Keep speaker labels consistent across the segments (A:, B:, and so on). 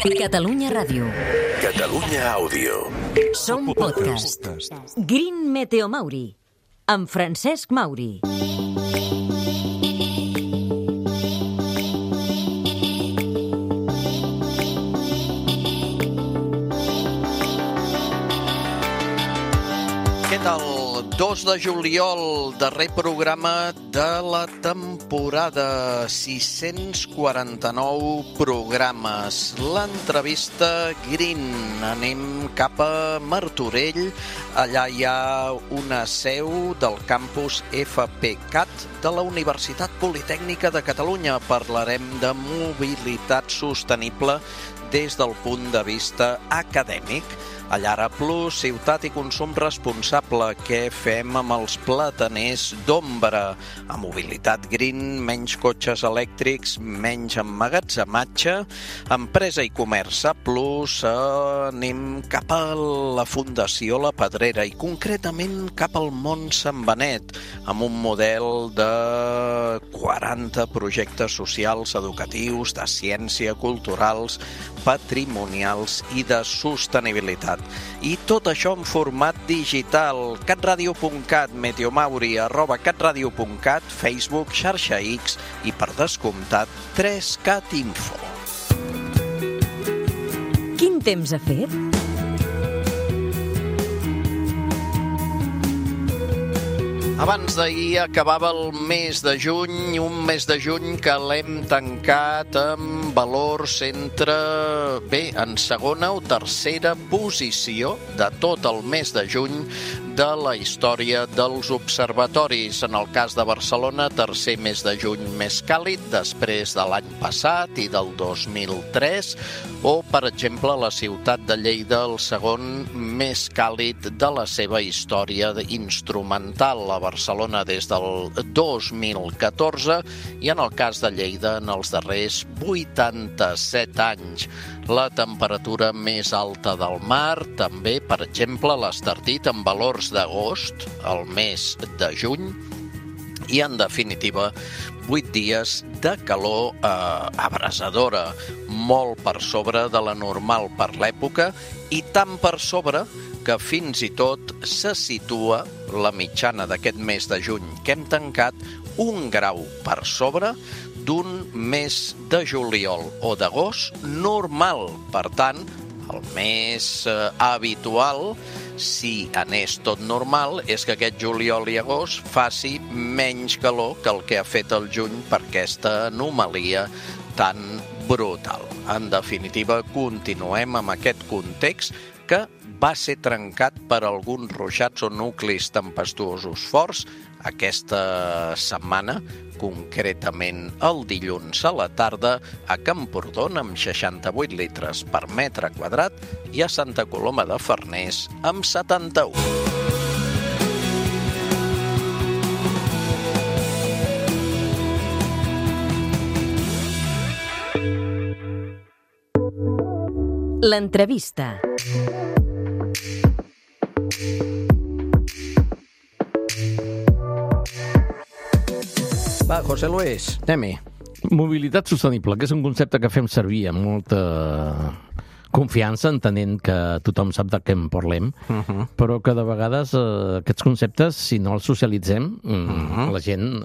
A: Catalunya Ràdio.
B: Catalunya Àudio.
A: Som podcast. Green Meteo Mauri, amb Francesc Mauri.
C: Què tal? 2 de juliol, darrer programa de la temporada, 649 programes. L'entrevista Green. Anem cap a Martorell. Allà hi ha una seu del campus FPCAT de la Universitat Politècnica de Catalunya. Parlarem de mobilitat sostenible des del punt de vista acadèmic. A Llara Plus, ciutat i consum responsable. Què fem amb els plataners d'ombra? A mobilitat green, menys cotxes elèctrics, menys emmagatzematge. Empresa i comerç a Plus, anem cap a la Fundació La Pedrera i concretament cap al món Sant Benet, amb un model de 40 projectes socials, educatius, de ciència, culturals, patrimonials i de sostenibilitat. I tot això en format digital. catradio.cat, Meteomauri, @catradio.cat, Facebook, xarxa X i, per descomptat, 3Cat Info.
A: Quin temps ha fet?
C: Abans d'ahir acabava el mes de juny, un mes de juny que l'hem tancat amb valors en segona o tercera posició de tot el mes de juny de la història dels observatoris. En el cas de Barcelona, tercer mes de juny més càlid després de l'any passat i del 2003, o, per exemple, la ciutat de Lleida, el segon més càlid de la seva història instrumental, a Barcelona des del 2014 i en el cas de Lleida en els darrers 87 anys. La temperatura més alta del mar, també, per exemple, l'Estartit amb valors d'agost, el mes de juny, i, en definitiva, 8 dies de calor abrasadora, molt per sobre de la normal per l'època i tan per sobre que fins i tot se situa la mitjana d'aquest mes de juny que hem tancat 1 grau per sobre d'un mes de juliol o d'agost normal. Per tant, el mes habitual, si anés tot normal, és que aquest juliol i agost faci menys calor que el que ha fet el juny per aquesta anomalia tan brutal. En definitiva, continuem amb aquest context que va ser trencat per alguns ruixats o nuclis tempestuosos forts aquesta setmana, concretament el dilluns a la tarda a Camprodon amb 68 litres per metre quadrat i a Santa Coloma de Farners amb 71.
A: L'entrevista.
C: Va, José Luis, anem-hi.
D: Mobilitat sostenible, que és un concepte que fem servir amb molta confiança, entenent que tothom sap de què en parlem, però que de vegades aquests conceptes, si no els socialitzem, la gent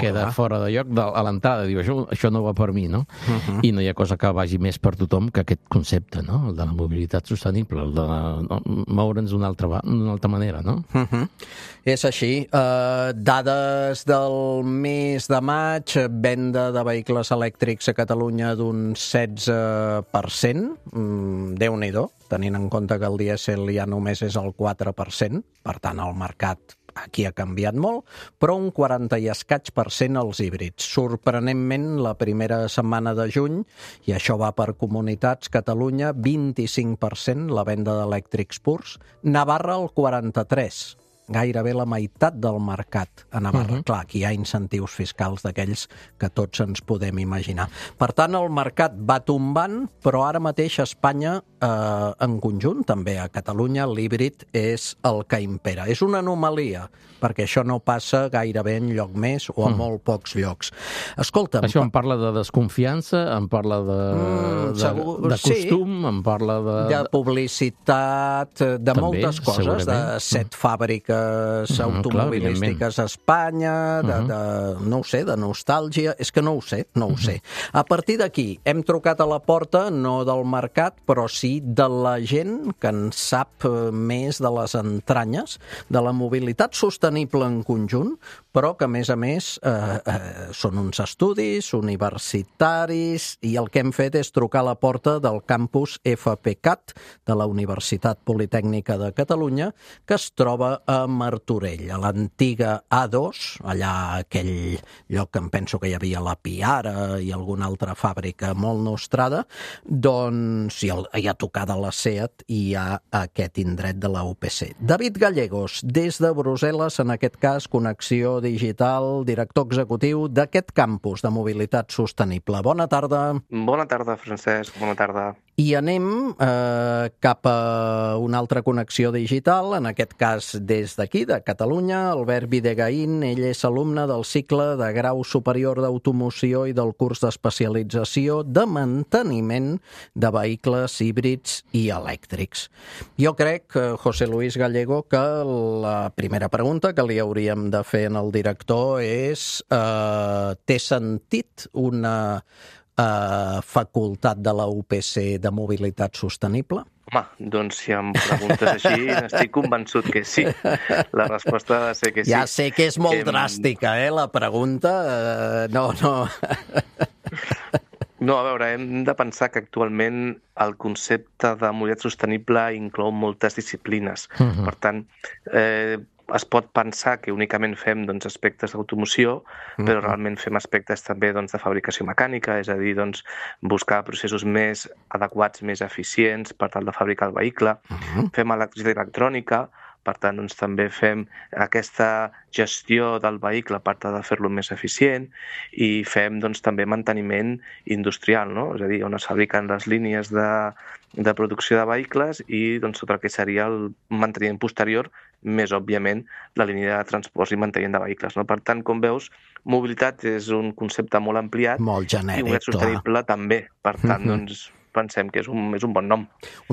D: queda fora de lloc a l'entrada, diu, això no va per mi, no? I no hi ha cosa que vagi més per tothom que aquest concepte, no? El de la mobilitat sostenible, el de moure'ns d'una altra manera, no?
C: És així. Dades del mes de maig, venda de vehicles elèctrics a Catalunya d'un 16%, Déu-n'hi-do, tenint en compte que el dièsel ja només és el 4%, per tant el mercat aquí ha canviat molt, però un 40 i escaig % els híbrids. Sorprenentment, la primera setmana de juny, i això va per comunitats, Catalunya 25% la venda d'elèctrics purs, Navarra el 43%.
E: gairebé la meitat del mercat a Navarra. Clar, aquí hi ha incentius fiscals d'aquells que tots ens podem imaginar. Per tant, el mercat va tombant, però ara mateix a Espanya, en conjunt, també a Catalunya, l'híbrid és el que impera. És una anomalia, perquè això no passa gairebé enlloc més o a molt pocs llocs. Escolta'm...
D: Això em parla de desconfiança, em parla de costum, em parla de
E: publicitat, de
D: també,
E: moltes coses, de 7 fàbriques automobilístiques a Espanya, no ho sé, de nostàlgia, és que no ho sé. A partir d'aquí, hem trucat a la porta, no del mercat, però sí de la gent que en sap més de les entranyes, de la mobilitat sostenible en conjunt, però que, a més, són uns estudis universitaris i el que hem fet és trucar a la porta del campus FPCAT de la Universitat Politècnica de Catalunya, que es troba a Martorell, a l'antiga A2, allà aquell lloc que em penso que hi havia la Piara i alguna altra fàbrica molt nostrada, doncs hi ha tocada la SEAT i hi ha aquest indret de la UPC. David Gallegos, des de Brussel·les, en aquest cas, Connexió Digital, director executiu d'aquest campus de mobilitat sostenible. Bona tarda.
F: Bona tarda, Francesc. Bona tarda.
E: I anem cap a una altra connexió digital, en aquest cas des d'aquí, de Catalunya. Albert Videgaín, ell és alumne del cicle de grau superior d'automoció i del curs d'especialització de manteniment de vehicles híbrids i elèctrics. Jo crec, José Luis Gallego, que la primera pregunta que li hauríem de fer al director és té sentit una facultat de la UPC de mobilitat sostenible?
F: Home, doncs si em preguntes així, estic convençut que sí. La resposta ha de ser que sí.
E: Ja sé que és molt dràstica, la pregunta. No.
F: No, a veure, hem de pensar que actualment el concepte de mobilitat sostenible inclou moltes disciplines. Per tant, es pot pensar que únicament fem aspectes d'automoció, però realment fem aspectes també de fabricació mecànica, és a dir, buscar processos més adequats, més eficients per tal de fabricar el vehicle. Fem electricitat i electrònica, per tant, també fem aquesta gestió del vehicle per tal de fer-lo més eficient i fem també manteniment industrial, no? És a dir, on es fabriquen les línies de producció de vehicles i tot el que seria el manteniment posterior, més òbviament la línia de transport i manteniment de vehicles. Per tant, com veus, mobilitat és un concepte molt ampliat
E: molt genèric,
F: i mobilitat sostenible també. Per tant, pensem que és un bon nom.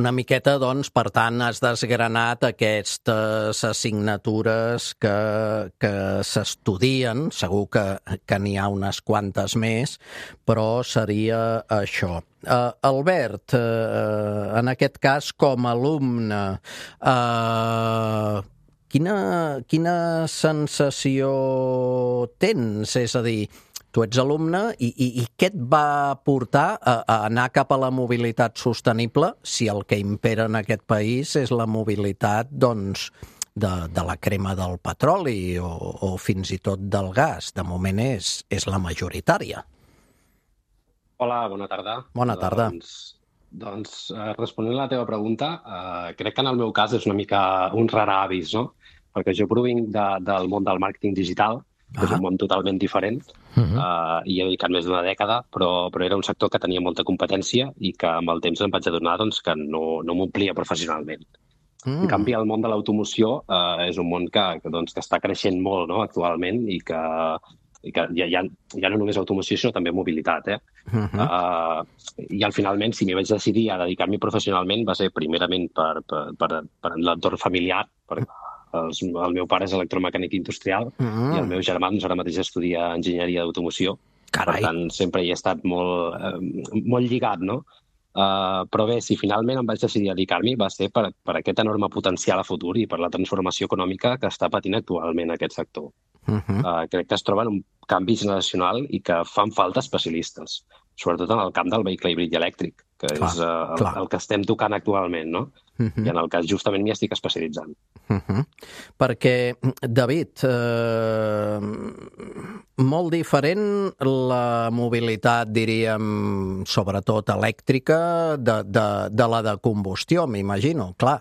E: Una miqueta, per tant, has desgranat aquestes assignatures que s'estudien, segur que n'hi ha unes quantes més, però seria això. Albert, en aquest cas, com a alumne, quina sensació tens? És a dir, tu ets alumne i què et va portar a anar cap a la mobilitat sostenible si el que impera en aquest país és la mobilitat, de la crema del petroli o fins i tot del gas? De moment és la majoritària.
G: Hola, bona tarda.
E: Bona tarda.
G: Doncs responent a la teva pregunta, crec que en el meu cas és una mica un rara avis, no? Perquè jo provinc del món del màrqueting digital, que és un món totalment diferent, i he dedicat més d'una dècada, però era un sector que tenia molta competència i que amb el temps em vaig adonar que no m'omplia professionalment. En canvi, el món de l'automoció és un món que està creixent molt, no, actualment i que ja no només automoció, sinó també mobilitat. I finalment, si m'hi vaig decidir a dedicar-m'hi professionalment, va ser primerament per l'entorn familiar, perquè el meu pare és electromecànic industrial i el meu germà ara mateix estudia enginyeria d'automoció. Per tant, sempre hi he estat molt lligat, no? Però bé, si finalment em vaig decidir a dedicar-m'hi va ser per aquest enorme potencial a futur i per la transformació econòmica que està patint actualment aquest sector. Crec que es troba en un canvi generacional i que fan falta especialistes, sobretot en el camp del vehicle híbrid i elèctric. que és el que estem tocant actualment, no? I en el cas justament m'hi estic especialitzant.
E: Perquè, David, molt diferent la mobilitat, diríem, sobretot elèctrica, de la de combustió, m'imagino. Clar,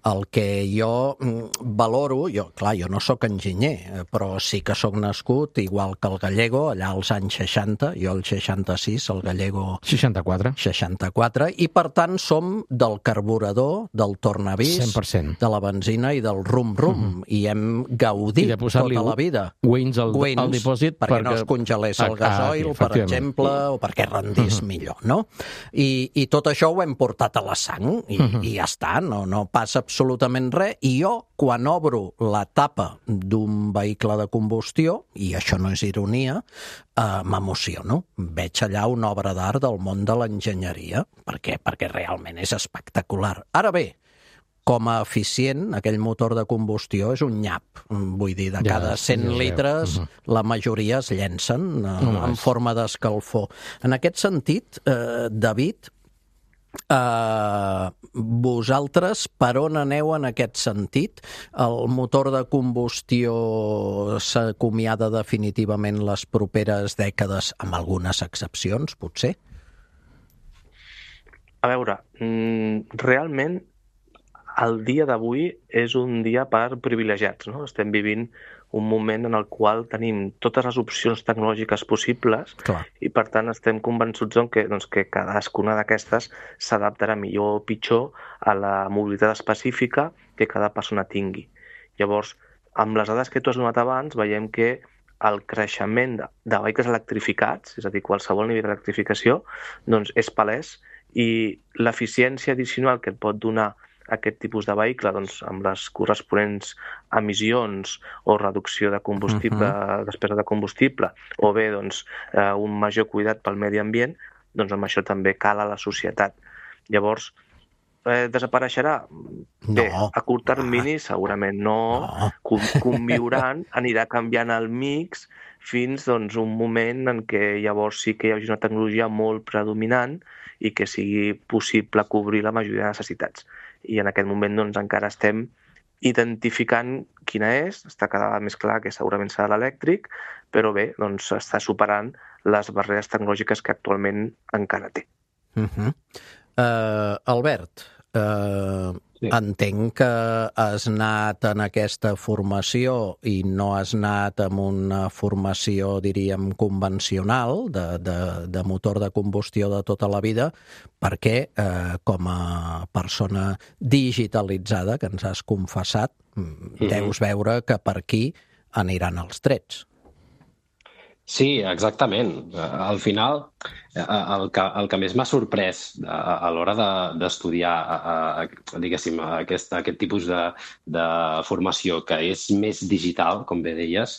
E: el que jo valoro, jo no sóc enginyer, però sí que sóc nascut, igual que el Gallego, allà als anys 60, jo el 66, el Gallego 64, i per tant som del carburador, del tornavís,
D: 100%.
E: de la benzina i del rum-rum, i hem gaudit tota la vida.
D: Wins al dipòsit
E: perquè no es congelés el gasoil, per exemple, o perquè rendís millor, no? I tot això ho hem portat a la sang, i ja està, no passa absolutament res, i jo, quan obro la tapa d'un vehicle de combustió, i això no és ironia, m'emociono. Veig allà una obra d'art del món de l'enginyeria, perquè realment és espectacular. Ara bé, com a eficient, aquell motor de combustió és un nyap. Vull dir, de cada 100 litres, la majoria es llencen en forma d'escalfor. En aquest sentit, David, vosaltres per on aneu en aquest sentit? El motor de combustió s'acomiada definitivament les properes dècades, amb algunes excepcions, potser?
F: A veure, realment el dia d'avui és un dia per privilegiats, no? Estem vivint un moment en el qual tenim totes les opcions tecnològiques possibles.
E: Clar.
F: I per tant estem convençuts que cadascuna d'aquestes s'adaptarà millor o pitjor a la mobilitat específica que cada persona tingui. Llavors, amb les dades que tu has donat abans, veiem que el creixement de vehicles electrificats, és a dir, qualsevol nivell d'electrificació, doncs és palès, i l'eficiència addicional que et pot donar aquest tipus de vehicle, doncs, amb les corresponents emissions o reducció de combustible, despesa de combustible, o bé doncs, un major cuidat pel medi ambient, doncs amb això també cal a la societat. Llavors, desapareixerà? Bé, a curt termini segurament no. Conviuran, anirà canviant el mix fins doncs, un moment en què llavors sí que hi hagi una tecnologia molt predominant i que sigui possible cobrir la majoria de necessitats. I en aquest moment doncs, encara estem identificant quina és, està cada vegada més clar que segurament serà l'elèctric, però bé, doncs està superant les barreres tecnològiques que actualment encara té.
E: Albert, entenc que has anat en aquesta formació i no has anat en una formació, diríem, convencional de motor de combustió de tota la vida, perquè com a persona digitalitzada, que ens has confessat, deus veure que per aquí aniran els trets.
G: Sí, exactament. Al final, el que més m'ha sorprès a l'hora d'estudiar, diguéssim, aquest tipus de formació que és més digital, com bé deies,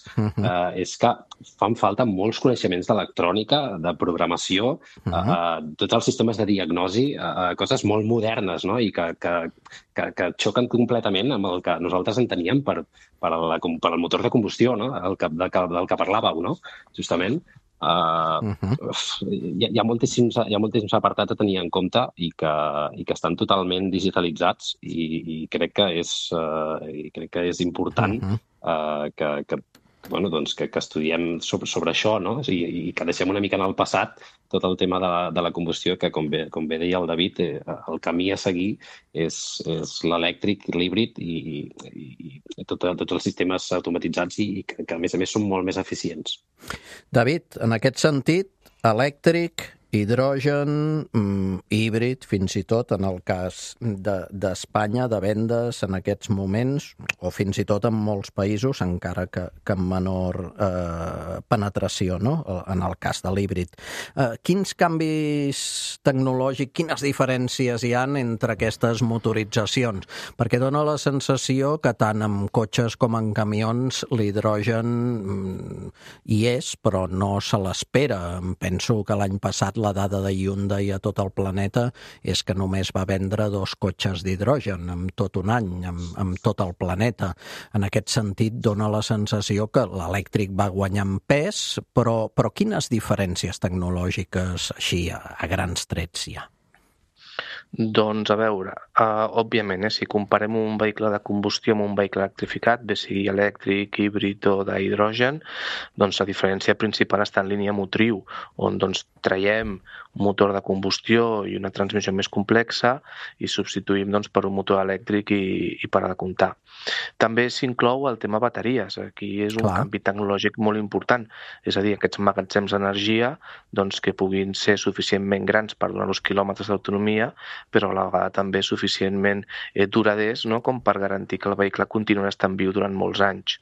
G: és que fan falta molts coneixements d'electrònica, de programació, tots els sistemes de diagnosi, coses molt modernes, no? I que xoquen completament amb el que nosaltres enteníem per al motor de combustió, no? Del que parlàveu, no? Justament. Hi ha moltíssims apartats a tenir en compte i que estan totalment digitalitzats i crec que és important que estudiem sobre això, no? I que deixem una mica en el passat tot el tema de la combustió, que com bé deia el David, el camí a seguir és l'elèctric, l'híbrid i tots els sistemes automatitzats i que a més són molt més eficients.
E: David, en aquest sentit, elèctric, hidrogen, híbrid, fins i tot en el cas d'Espanya, de vendes en aquests moments, o fins i tot en molts països, encara que amb menor penetració, no? En el cas de l'híbrid. Quins canvis tecnològics, quines diferències hi ha entre aquestes motoritzacions? Perquè dona la sensació que tant en cotxes com en camions l'hidrogen hi és, però no se l'espera. Penso que l'any passat la dada de Hyundai a tot el planeta és que només va vendre 2 cotxes d'hidrogen en tot un any, en tot el planeta. En aquest sentit, dona la sensació que l'elèctric va guanyar en pes, però quines diferències tecnològiques així a grans trets hi ha?
F: Doncs a veure, òbviament, si comparem un vehicle de combustió amb un vehicle electrificat, bé sigui elèctric, híbrid o d'hidrogen, doncs la diferència principal està en línia motriu, on doncs traiem un motor de combustió i una transmissió més complexa i substituïm doncs, per un motor elèctric i per a de comptar. També s'inclou el tema bateries. Aquí és un canvi tecnològic molt important, és a dir, aquests magatzems d'energia doncs, que puguin ser suficientment grans per donar-los quilòmetres d'autonomia, però a la vegada també suficientment duraders, no?, com per garantir que el vehicle continuarà estant viu durant molts anys.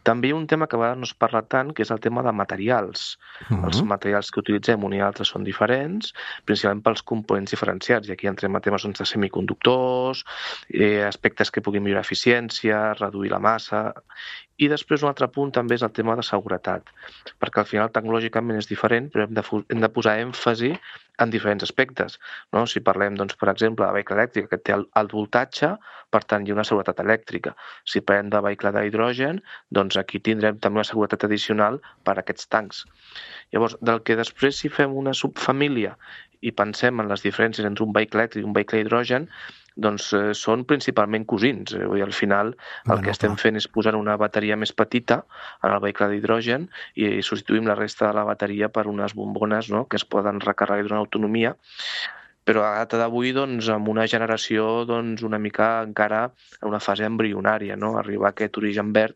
F: També hi ha un tema que a vegades no es parla tant, que és el tema de materials. Els materials que utilitzem un i altre són diferents, principalment pels components diferenciats, i aquí entrem a temes de semiconductors, aspectes que puguin millorar eficiència, reduir la massa. I després un altre punt també és el tema de seguretat, perquè al final tecnològicament és diferent, però hem de posar èmfasi en diferents aspectes. No? Si parlem, doncs, per exemple, de vehicle elèctric que té alt voltatge, per tant, hi ha una seguretat elèctrica. Si parlem de vehicle d'hidrogen, doncs aquí tindrem també una seguretat addicional per a aquests tancs. Llavors, del que després si fem una subfamília i pensem en les diferències entre un vehicle elèctric i un vehicle d'hidrogen, doncs són principalment cosins. Vull dir, al final el que estem fent és posar una bateria més petita en el vehicle d'hidrogen i substituïm la resta de la bateria per unes bombones, no?, que es poden recarregar i donar autonomia. Però a data d'avui, doncs, amb una generació doncs, una mica encara en una fase embrionària, no? Arribar a aquest origen verd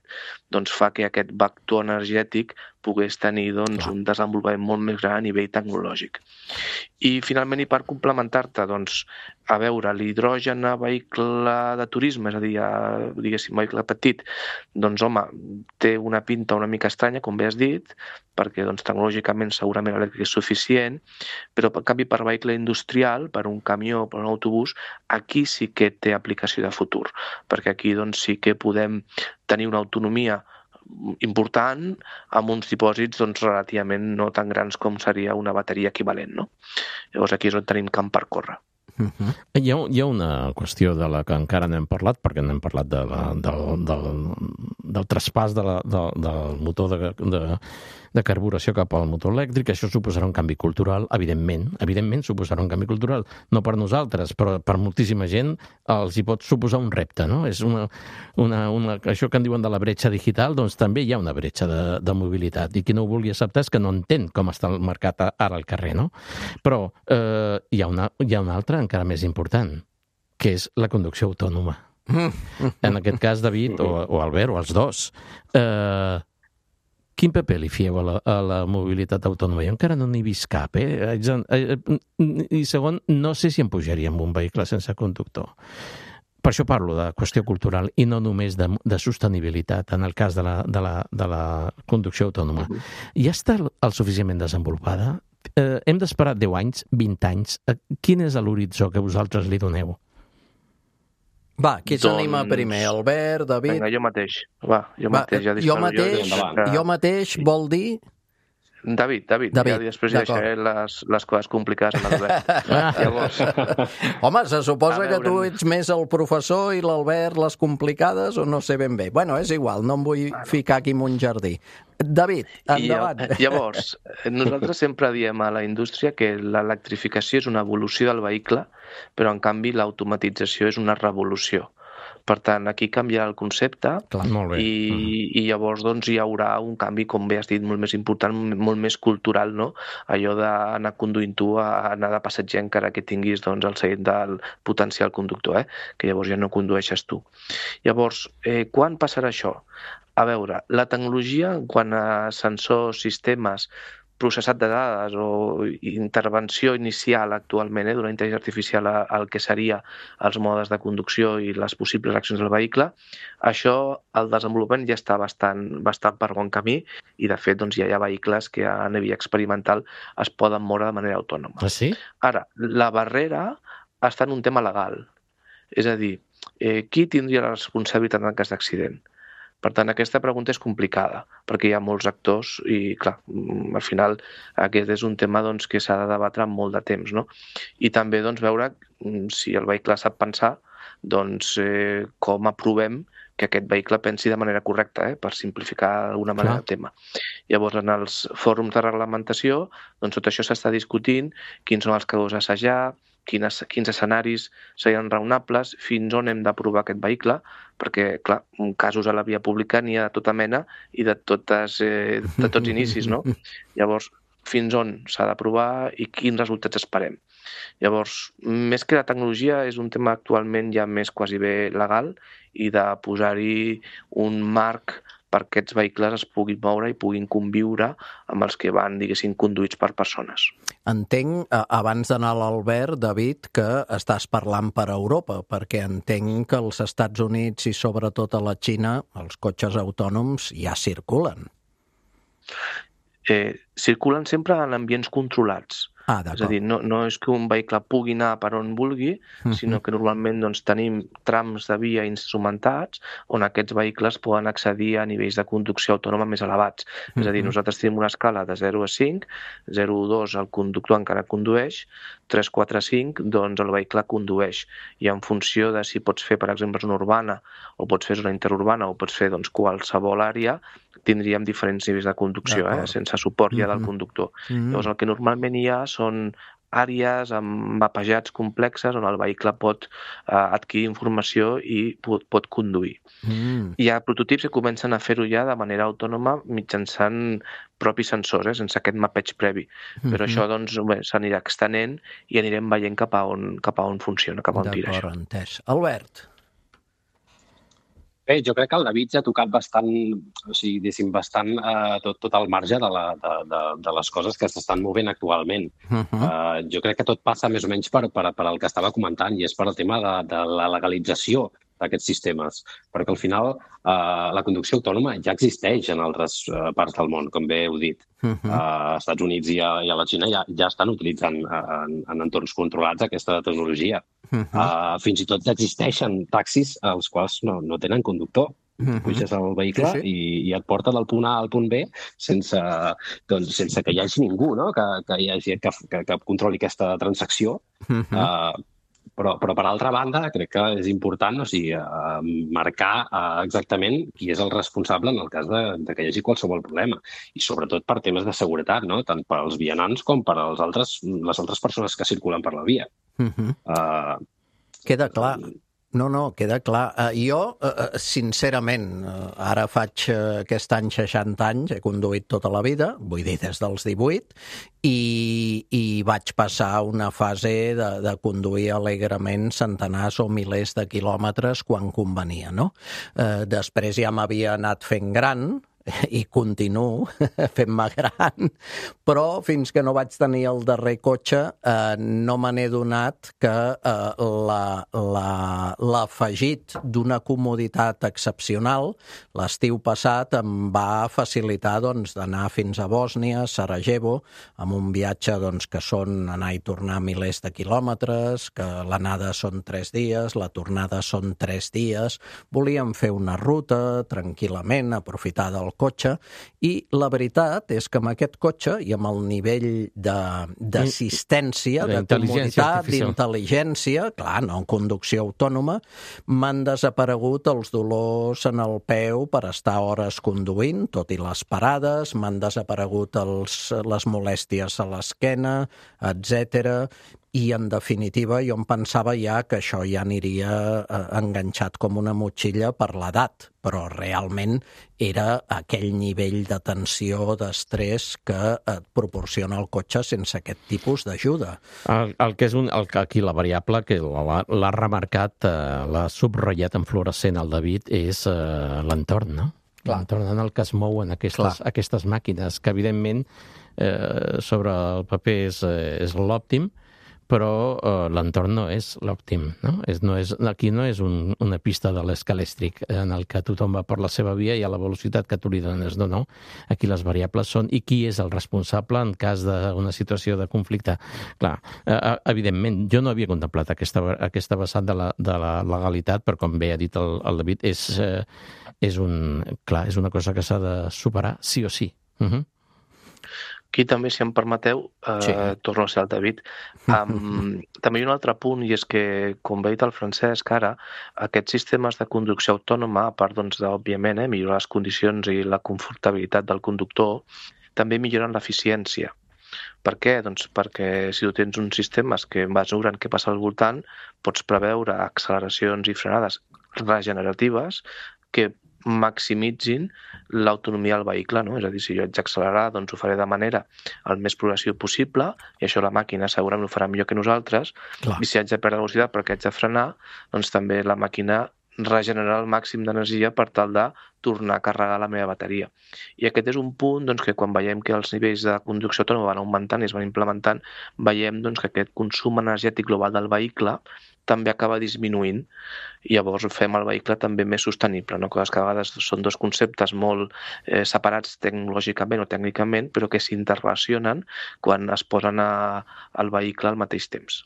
F: doncs, fa que aquest vector energètic pogués tenir doncs, un desenvolupament molt més gran a nivell tecnològic. I finalment, i per complementar-te, doncs, a veure, l'hidrogen a vehicle de turisme, és a dir, diguéssim, vehicle petit, doncs, home, té una pinta una mica estranya, com bé has dit, perquè doncs, tecnològicament segurament l'elèctric és suficient, però en canvi per vehicle industrial, per un camió, per un autobús, aquí sí que té aplicació de futur, perquè aquí doncs, sí que podem tenir una autonomia important amb uns dipòsits doncs, relativament no tan grans com seria una bateria equivalent. No? Llavors aquí és on tenim camp per córrer.
D: Hi ha una qüestió de la que encara no hem parlat, perquè no hem parlat del traspàs del motor de carburació cap al motor elèctric. Això suposarà un canvi cultural, evidentment suposarà un canvi cultural, no per nosaltres, però per moltíssima gent els hi pot suposar un repte, no? És això que en diuen de la bretxa digital, doncs també hi ha una bretxa de mobilitat, i qui no ho vulgui acceptar és que no entén com està el mercat ara al carrer, no? Però hi ha una altra encara més important, que és la conducció autònoma. En aquest cas, David o Albert, o els dos, quin paper li fieu a la mobilitat autònoma? Jo encara no n'he vist cap, I segon, no sé si em pujaria en un vehicle sense conductor. Per això parlo de qüestió cultural i no només de sostenibilitat en el cas de la conducció autònoma. Ja està el suficientment desenvolupada? Hem d'esperar 10 anys, 20 anys? Quin és l'horitzó que vosaltres li doneu?
E: Va, qui s'anima primer? Albert, David?
F: Vinga, jo mateix.
E: Jo mateix vol dir...
F: David. Ja després deixaré les coses complicades en l'Albert. Llavors...
E: Home, se suposa que tu ets més el professor i l'Albert les complicades, o no sé ben bé. Bueno, és igual, no em vull ficar aquí en un jardí. David, endavant.
F: Llavors, nosaltres sempre diem a la indústria que l'electrificació és una evolució del vehicle, però en canvi l'automatització és una revolució. Per tant, aquí canviarà el concepte.
D: Clar, molt bé.
F: I llavors doncs, hi haurà un canvi, com bé has dit, molt més important, molt més cultural, no? Allò d'anar conduint tu a anar de passatger encara que tinguis doncs, el seient del potencial conductor, que llavors ja no condueixes tu. Llavors, quan passarà això? A veure, la tecnologia, quant a sensors, sistemes, processat de dades o intervenció inicial actualment d'una intel·ligència artificial al que seria els modes de conducció i les possibles accions del vehicle, això, el desenvolupament ja està bastant per bon camí i, de fet, doncs, ja hi ha vehicles que a nivell experimental es poden moure de manera autònoma.
D: Ah, sí?
F: Ara, la barrera està en un tema legal. És a dir, qui tindria la responsabilitat en cas d'accident? Per tant, aquesta pregunta és complicada, perquè hi ha molts actors i, clar, al final aquest és un tema doncs, que s'ha de debatre amb molt de temps, no? I també doncs, veure si el vehicle sap pensar doncs, com aprovem que aquest vehicle pensi de manera correcta, per simplificar d'alguna manera el tema. Llavors, en els fòrums de reglamentació, doncs, tot això s'està discutint, quins són els casos a assajar, quins escenaris serien raonables, fins on hem d'aprovar aquest vehicle, perquè, clar, casos a la via pública n'hi ha de tota mena i de tots inicis, no? Llavors, fins on s'ha d'aprovar i quins resultats esperem. Llavors, més que la tecnologia, és un tema actualment ja més quasi bé legal i de posar-hi un marc perquè aquests vehicles es puguin moure i puguin conviure amb els que van, diguéssim, conduïts per persones.
E: Entenc, abans d'anar a l'Albert, David, que estàs parlant per Europa, perquè entenc que als Estats Units i sobretot a la Xina els cotxes autònoms ja circulen.
F: Circulen sempre en ambients controlats. És a dir, no és que un vehicle pugui anar per on vulgui, sinó que normalment tenim trams de via instrumentats on aquests vehicles poden accedir a nivells de conducció autònoma més elevats. És a dir, nosaltres tenim una escala de 0 a 5, 0 a 2 el conductor encara condueix, 3, 4, 5, doncs el vehicle condueix. I en funció de si pots fer, per exemple, zona urbana, o pots fer zona interurbana, o pots fer qualsevol àrea, tindríem diferents nivells de conducció, sense suport ja del conductor. Llavors, el que normalment hi ha són àrees amb mapejats complexes on el vehicle pot adquirir informació i pot conduir. Hi ha prototips que comencen a fer-ho ja de manera autònoma mitjançant propis sensors, sense aquest mapeig previ. Però això s'anirà extenent i anirem veient cap a on funciona, cap a on tira això.
E: D'acord, entès. Albert?
G: Bé, jo crec que el David ja ha tocat bastant, o sigui, diguéssim, bastant tot el marge de les coses que s'estan movent actualment. Jo crec que tot passa més o menys per el que estava comentant, i és per el tema de la legalització d'aquests sistemes, perquè al final la conducció autònoma ja existeix en altres parts del món, com bé heu dit. Als Estats Units i a la Xina ja estan utilitzant en entorns controlats aquesta tecnologia. Fins i tot existeixen taxis als quals no tenen conductor. Puges al vehicle i et porta del punt A al punt B sense que hi hagi ningú, no? que controli aquesta transacció. Però per altra banda, crec que és important marcar exactament qui és el responsable en el cas de que hi hagi qualsevol problema. I sobretot per temes de seguretat, no? Tant per als vianants com per les altres persones que circulen per la via.
E: Queda clar. No, queda clar. Jo, sincerament, ara faig aquest any 60 anys, he conduït tota la vida, vull dir des dels 18, i vaig passar una fase de conduir alegrement centenars o milers de quilòmetres quan convenia, no? Després ja m'havia anat fent gran, i continuo fent-me gran, però fins que no vaig tenir el darrer cotxe no me n'he donat que l'afegit d'una comoditat excepcional l'estiu passat em va facilitar d'anar fins a Bòsnia, Sarajevo, amb un viatge que són anar i tornar milers de quilòmetres, que l'anada són 3 dies, la tornada són 3 dies. Volíem fer una ruta tranquil·lament, aprofitar del cotxe, i la veritat és que amb aquest cotxe i amb el nivell d'assistència, de comoditat, d'intel·ligència, clar, no en conducció autònoma, m'han desaparegut els dolors en el peu per estar hores conduint, tot i les parades, m'han desaparegut les molèsties a l'esquena, etc. I, en definitiva, jo em pensava ja que això ja aniria enganxat com una motxilla per l'edat, però realment era aquell nivell de tensió, d'estrès que et proporciona el cotxe sense aquest tipus d'ajuda.
D: Aquí la variable que l'ha remarcat, l'ha subratllat en fluorescent el David, és l'entorn, no? L'entorn en el que es mouen aquestes màquines, que evidentment sobre el paper és l'òptim, però l'entorn no és l'òptim, no? Aquí no és una pista de l'escalèstric en el que tothom va per la seva via i a la velocitat que tu li dones. No. Aquí les variables són i qui és el responsable en cas d'una situació de conflicte. Clar, evidentment, jo no havia contemplat aquesta vessant de la legalitat, però com bé ha dit el David, és una cosa que s'ha de superar sí o sí.
F: Aquí també, si em permeteu, torno a ser el David, també hi ha un altre punt, i és que, com bé ha dit el Francesc, ara, aquests sistemes de conducció autònoma, a part, òbviament, millorar les condicions i la confortabilitat del conductor, també milloren l'eficiència. Per què? Doncs perquè si tu tens uns sistemes que mesuren què passa al voltant, pots preveure acceleracions i frenades regeneratives que maximitzin l'autonomia del vehicle, no? És a dir, si jo haig d'accelerar, doncs ho faré de manera el més progressiva possible, i això la màquina segurament ho farà millor que nosaltres. Clar. I si haig de perdre velocitat perquè haig de frenar, doncs també la màquina regenerar el màxim d'energia per tal de tornar a carregar la meva bateria. I aquest és un punt doncs, que quan veiem que els nivells de conducció autònoma van augmentant i es van implementant, veiem doncs, que aquest consum energètic global del vehicle també acaba disminuint i llavors fem el vehicle també més sostenible, no? Coses que a vegades són dos conceptes molt separats tecnològicament o tècnicament, però que s'interrelacionen quan es posen al vehicle al mateix temps.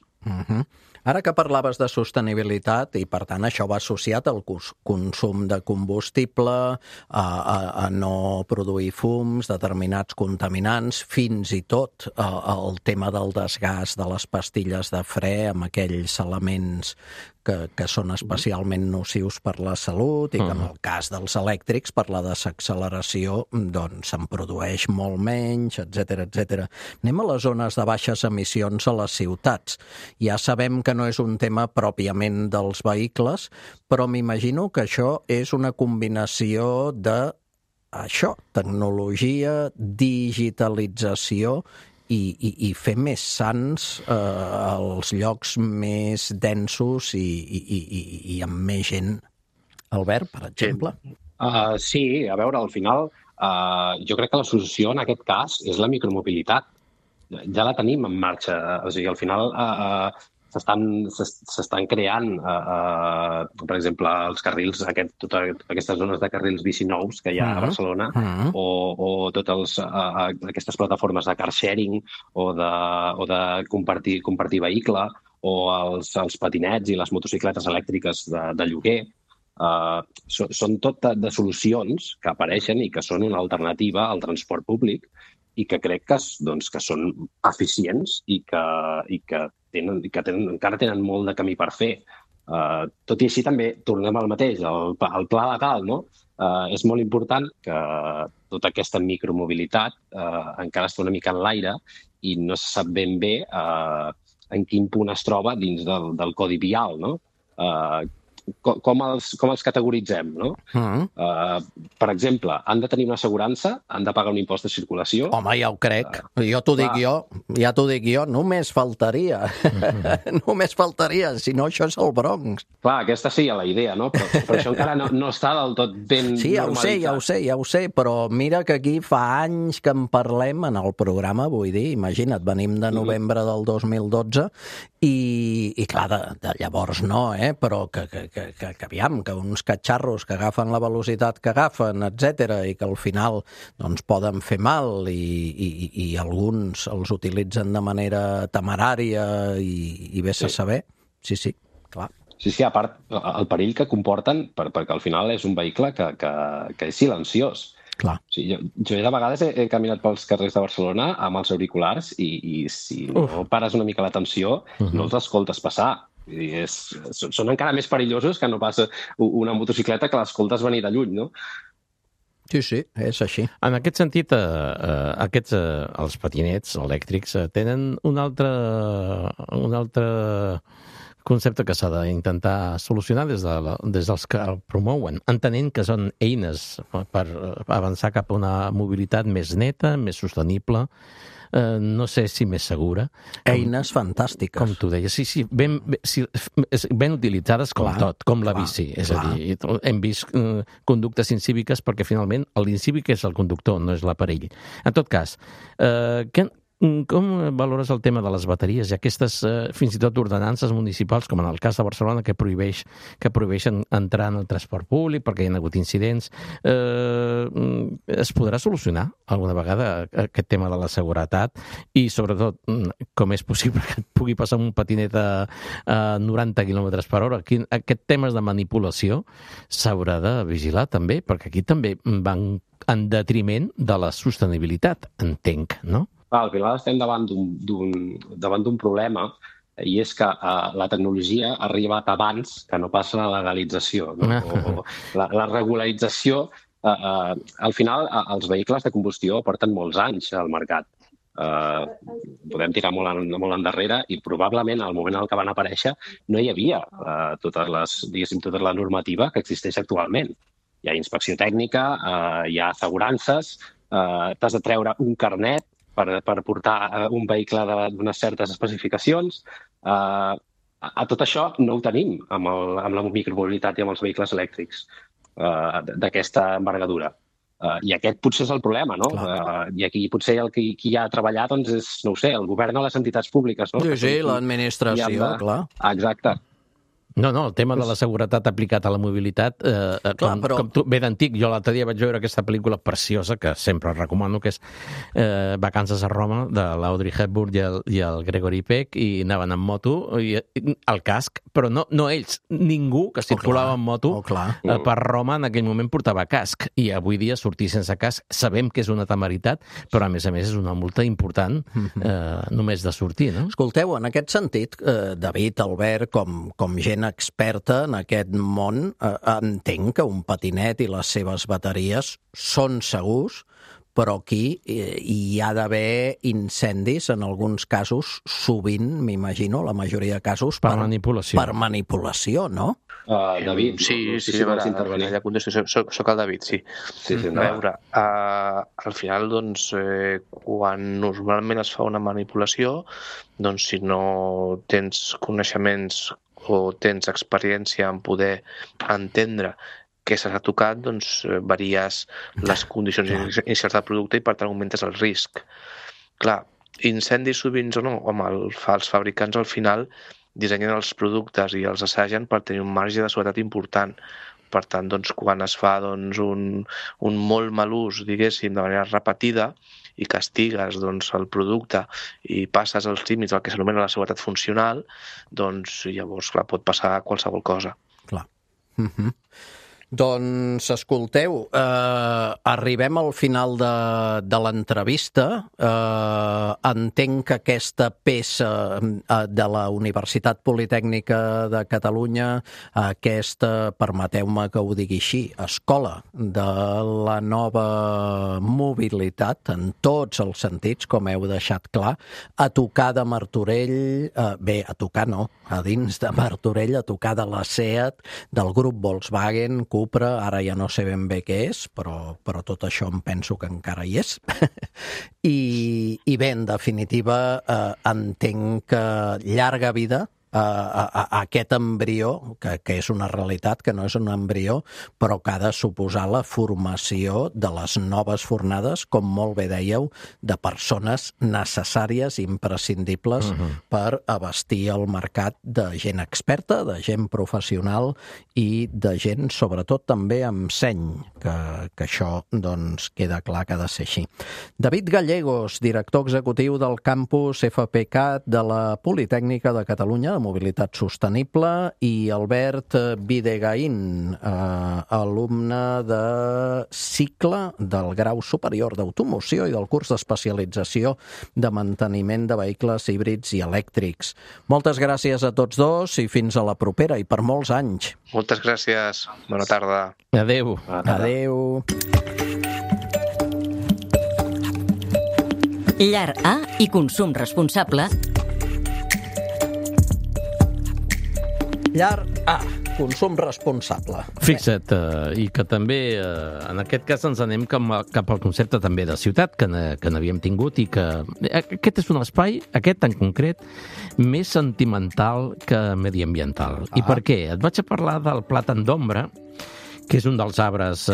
E: Ara que parlaves de sostenibilitat i, per tant, això va associat al consum de combustible, a no produir fums, determinats contaminants, fins i tot el tema del desgast de les pastilles de fre amb aquells elements que són especialment nocius per la salut i que en el cas dels elèctrics per la desacceleració doncs se'n produeix molt menys, etc etc. Anem a les zones de baixes emissions a les ciutats. Ja sabem que no és un tema pròpiament dels vehicles, però m'imagino que això és una combinació de tecnologia, digitalització i fer més sans els llocs més densos i amb més gent. Albert, per exemple?
G: Sí, a veure, al final jo crec que la solució en aquest cas és la micromobilitat. Ja la tenim en marxa. O sigui, al final s'estan creant, per exemple, els carrils, aquestes zones de carrils bici nous que hi ha a Barcelona, o totes aquestes plataformes de car sharing o de compartir vehicle, o els patinets i les motocicletes elèctriques de lloguer. Són tot de solucions que apareixen i que són una alternativa al transport públic i que crec que són eficients i que encara tenen molt de camí per fer. Tot i així també tornem al mateix, el pla legal, no? És molt important que tota aquesta micromobilitat encara està una mica en l'aire i no se sap ben bé en quin punt es troba dins del codi vial, no? Com els categoritzem, no? Per exemple, han de tenir una assegurança, han de pagar un impost de circulació.
E: Home, ja ho crec. Ja t'ho dic jo, només faltaria. Només faltaria, si no això és el Bronx.
G: Clar, aquesta seria la idea, no? Però això encara no està del tot ben normalitzat.
E: Sí, ja ho sé, però mira que aquí fa anys que en parlem en el programa, vull dir, imagina't, venim de novembre del 2012 i clar, de llavors no, però que aviam, que uns catxarros que agafen la velocitat que agafen, etc i que al final doncs poden fer mal i alguns els utilitzen de manera temerària i vés a saber. Sí, clar.
G: Sí, a part, el perill que comporten, perquè al final és un vehicle que és silenciós.
E: Clar.
G: Sí, jo de vegades he caminat pels carrers de Barcelona amb els auriculars i si no pares una mica l'atenció no els escoltes passar. Són encara més perillosos que no passa una motocicleta que l'escoltes venir de lluny, no?
E: Sí, és així.
D: En aquest sentit, els patinets elèctrics tenen un altre concepte que s'ha d'intentar solucionar des dels que el promouen, entenent que són eines per avançar cap a una mobilitat més neta, més sostenible, no sé si més segura.
E: Eines fantàstiques.
D: Com tu deies, sí, ben utilitzades com tot, com la bici. És a dir, hem vist conductes incíviques perquè finalment l'incívic és el conductor, no és l'aparell. En tot cas, com valores el tema de les bateries i aquestes, fins i tot, ordenances municipals, com en el cas de Barcelona, que prohibeixen entrar en el transport públic perquè hi ha hagut incidents? Es podrà solucionar alguna vegada aquest tema de la seguretat? I, sobretot, com és possible que et pugui passar un patinet a 90 km per hora? Aquest tema de manipulació s'haurà de vigilar també, perquè aquí també van en detriment de la sostenibilitat, entenc, no?
G: Al final estem davant d'un problema i és que la tecnologia ha arribat abans que no passa la legalització, no? O la regularització. Al final, els vehicles de combustió porten molts anys al mercat. podem tirar molt endarrere i probablement al moment en què van aparèixer no hi havia tota la normativa que existeix actualment. Hi ha inspecció tècnica, hi ha assegurances, t'has de treure un carnet per portar un vehicle d'unes certes especificacions. A tot això no ho tenim amb la micromobilitat i amb els vehicles elèctrics d'aquesta envergadura. I aquest potser és el problema, no? I aquí potser qui hi ha de treballar és, no ho sé, el govern o les entitats públiques, no?
E: Sí, l'administració, clar.
G: Exacte.
D: No, el tema de la seguretat aplicat a la mobilitat, com tu, ve d'antic. Jo l'altre dia vaig veure aquesta pel·lícula preciosa, que sempre recomano, que és Vacances a Roma, de l'Audrey Hepburn i el Gregory Peck, i anaven amb moto, i el casc, però no ells, ningú que circulava amb moto per Roma en aquell moment portava casc, i avui dia sortir sense casc sabem que és una temeritat, però a més és una multa important només de sortir, no?
E: Escolteu, en aquest sentit, David, Albert, com gent experta en aquest món, entenc que un patinet i les seves bateries són segurs, però aquí hi ha d'haver incendis, en alguns casos, sovint, m'imagino, la majoria de casos,
D: per manipulació.
E: Per manipulació, no?
G: David,
F: sí, allà contesto, soc el David, sí. A veure, al final, doncs, quan normalment es fa una manipulació, doncs si no tens coneixements o tens experiència en poder entendre què s'ha tocat, doncs varies les condicions inicials del producte i per tant augmentes el risc. Clar, incendis sovint o no, els fabricants al final dissenyen els productes i els assagen per tenir un marge de seguretat important. Per tant, doncs, quan es fa un molt mal ús, diguéssim, de manera repetida, i castigues el producte i passes els límits del que s'anomena la seguretat funcional, doncs llavors, clar, pot passar qualsevol cosa.
E: Clar. Doncs, escolteu, arribem al final de l'entrevista. Entenc que aquesta peça de la Universitat Politècnica de Catalunya, aquesta, permeteu-me que ho digui així, escola de la nova mobilitat, en tots els sentits, com heu deixat clar, a tocar de Martorell, a tocar no, a dins de Martorell, a tocar de la SEAT, del grup Volkswagen, Cupra, ara ja no sé ben bé què és, però tot això em penso que encara hi és. I bé, en definitiva, entenc que llarga vida a aquest embrió, que és una realitat, que no és un embrió, però que ha de suposar la formació de les noves fornades, com molt bé dèieu, de persones necessàries, imprescindibles per abastir el mercat de gent experta, de gent professional i de gent, sobretot, també amb seny, que això, doncs, queda clar que ha de ser així. David Gallegos, director executiu del campus FPCAT de la Politècnica de Catalunya, Mobilitat Sostenible, i Albert Videgaín, alumne de cicle del grau superior d'automoció i del curs d'especialització de manteniment de vehicles híbrids i elèctrics. Moltes gràcies a tots dos i fins a la propera i per molts anys.
F: Moltes gràcies. Bona tarda.
D: Adéu.
E: Adéu.
A: Llar A i consum responsable.
E: Llar A, consum responsable.
D: Fixa't, i que també, en aquest cas, ens anem cap al concepte també de ciutat que n'havíem tingut i que aquest és un espai, aquest en concret, més sentimental que mediambiental. I per què? Et vaig a parlar del plàtan d'ombra, que és un dels arbres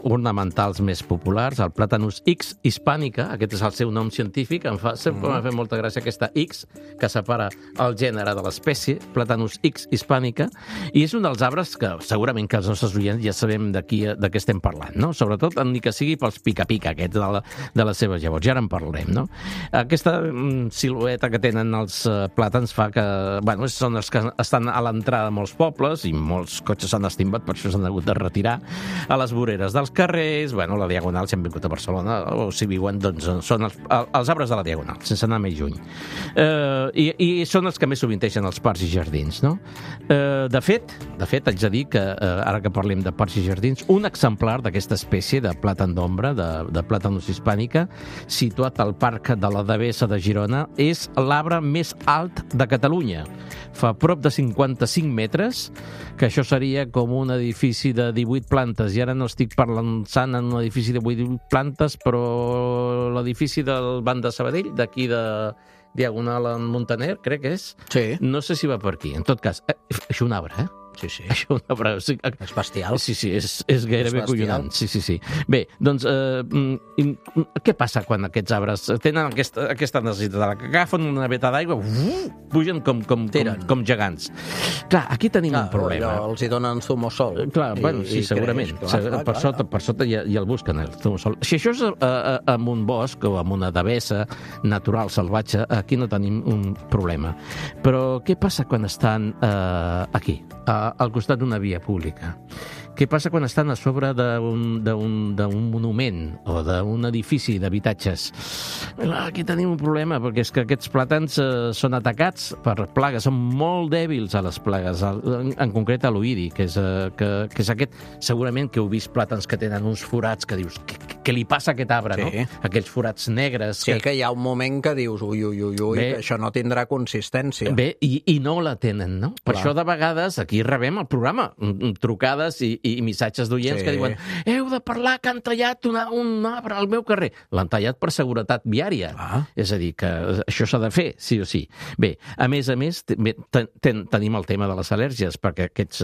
D: ornamentals més populars, el Platanus X hispànica, aquest és el seu nom científic, sempre m'ha fet molta gràcia aquesta X, que separa el gènere de l'espècie, Platanus X hispànica, i és un dels arbres que segurament que els nostres oients ja sabem de què estem parlant, no? Sobretot, ni que sigui pels pica-pica aquests de les seves llavors, ja en parlarem, no? Aquesta silueta que tenen els plàtans fa que, bueno, són els que estan a l'entrada de molts pobles i molts cotxes s'han estimbat, per això s'han hagut de retirar tirar a les voreres dels carrers, bueno, la Diagonal, si han vingut a Barcelona, o si viuen, doncs són els arbres de la Diagonal, sense anar més lluny. I són els que més sovinteixen els parcs i jardins, no? De fet, haig de dir que, ara que parlem de parcs i jardins, un exemplar d'aquesta espècie de plàtan d'ombra, de Platanus hispànica, situat al Parc de la Devesa de Girona, és l'arbre més alt de Catalunya. Fa prop de 55 metres, que això seria com un edifici de 18 plantes, i ara no estic pensant en un edifici de 18 plantes, però l'edifici del Banc de Sabadell, d'aquí de Diagonal en Montaner, crec que és.
E: Sí.
D: No sé si va per aquí. En tot cas, això és un arbre, eh?
E: Sí, sí.
D: Això és un arbre.
E: És bestial.
D: Sí, és gairebé collonant. Sí. Bé, doncs, què passa quan aquests arbres tenen aquesta necessitat? Que agafen una veta d'aigua, pugen com gegants. Clar, aquí tenim un problema.
E: Els hi donen zumosol.
D: Clar, bueno, sí, segurament. Per sota ja el busquen, el zumosol. Si això és en un bosc o en una devesa natural, salvatge, aquí no tenim un problema. Però què passa quan estan aquí, al costat d'una via pública? Què passa quan estan a sobre d'un monument o d'un edifici d'habitatges? Aquí tenim un problema, perquè és que aquests plàtans són atacats per plagues, són molt dèbils a les plagues, en concret a l'oïdi, que és aquest, segurament que heu vist plàtans que tenen uns forats que dius, què li passa a aquest arbre, sí, no? Aquells forats negres.
E: Sí, que hi ha un moment que dius, ui, que això no tindrà consistència.
D: Bé, i no la tenen, no? Per això de vegades aquí rebem al programa trucades i missatges d'oients que diuen heu de parlar que han tallat un arbre al meu carrer. L'han tallat per seguretat viària. És a dir, que això s'ha de fer, sí o sí. Bé, a més, tenim el tema de les al·lèrgies, perquè aquests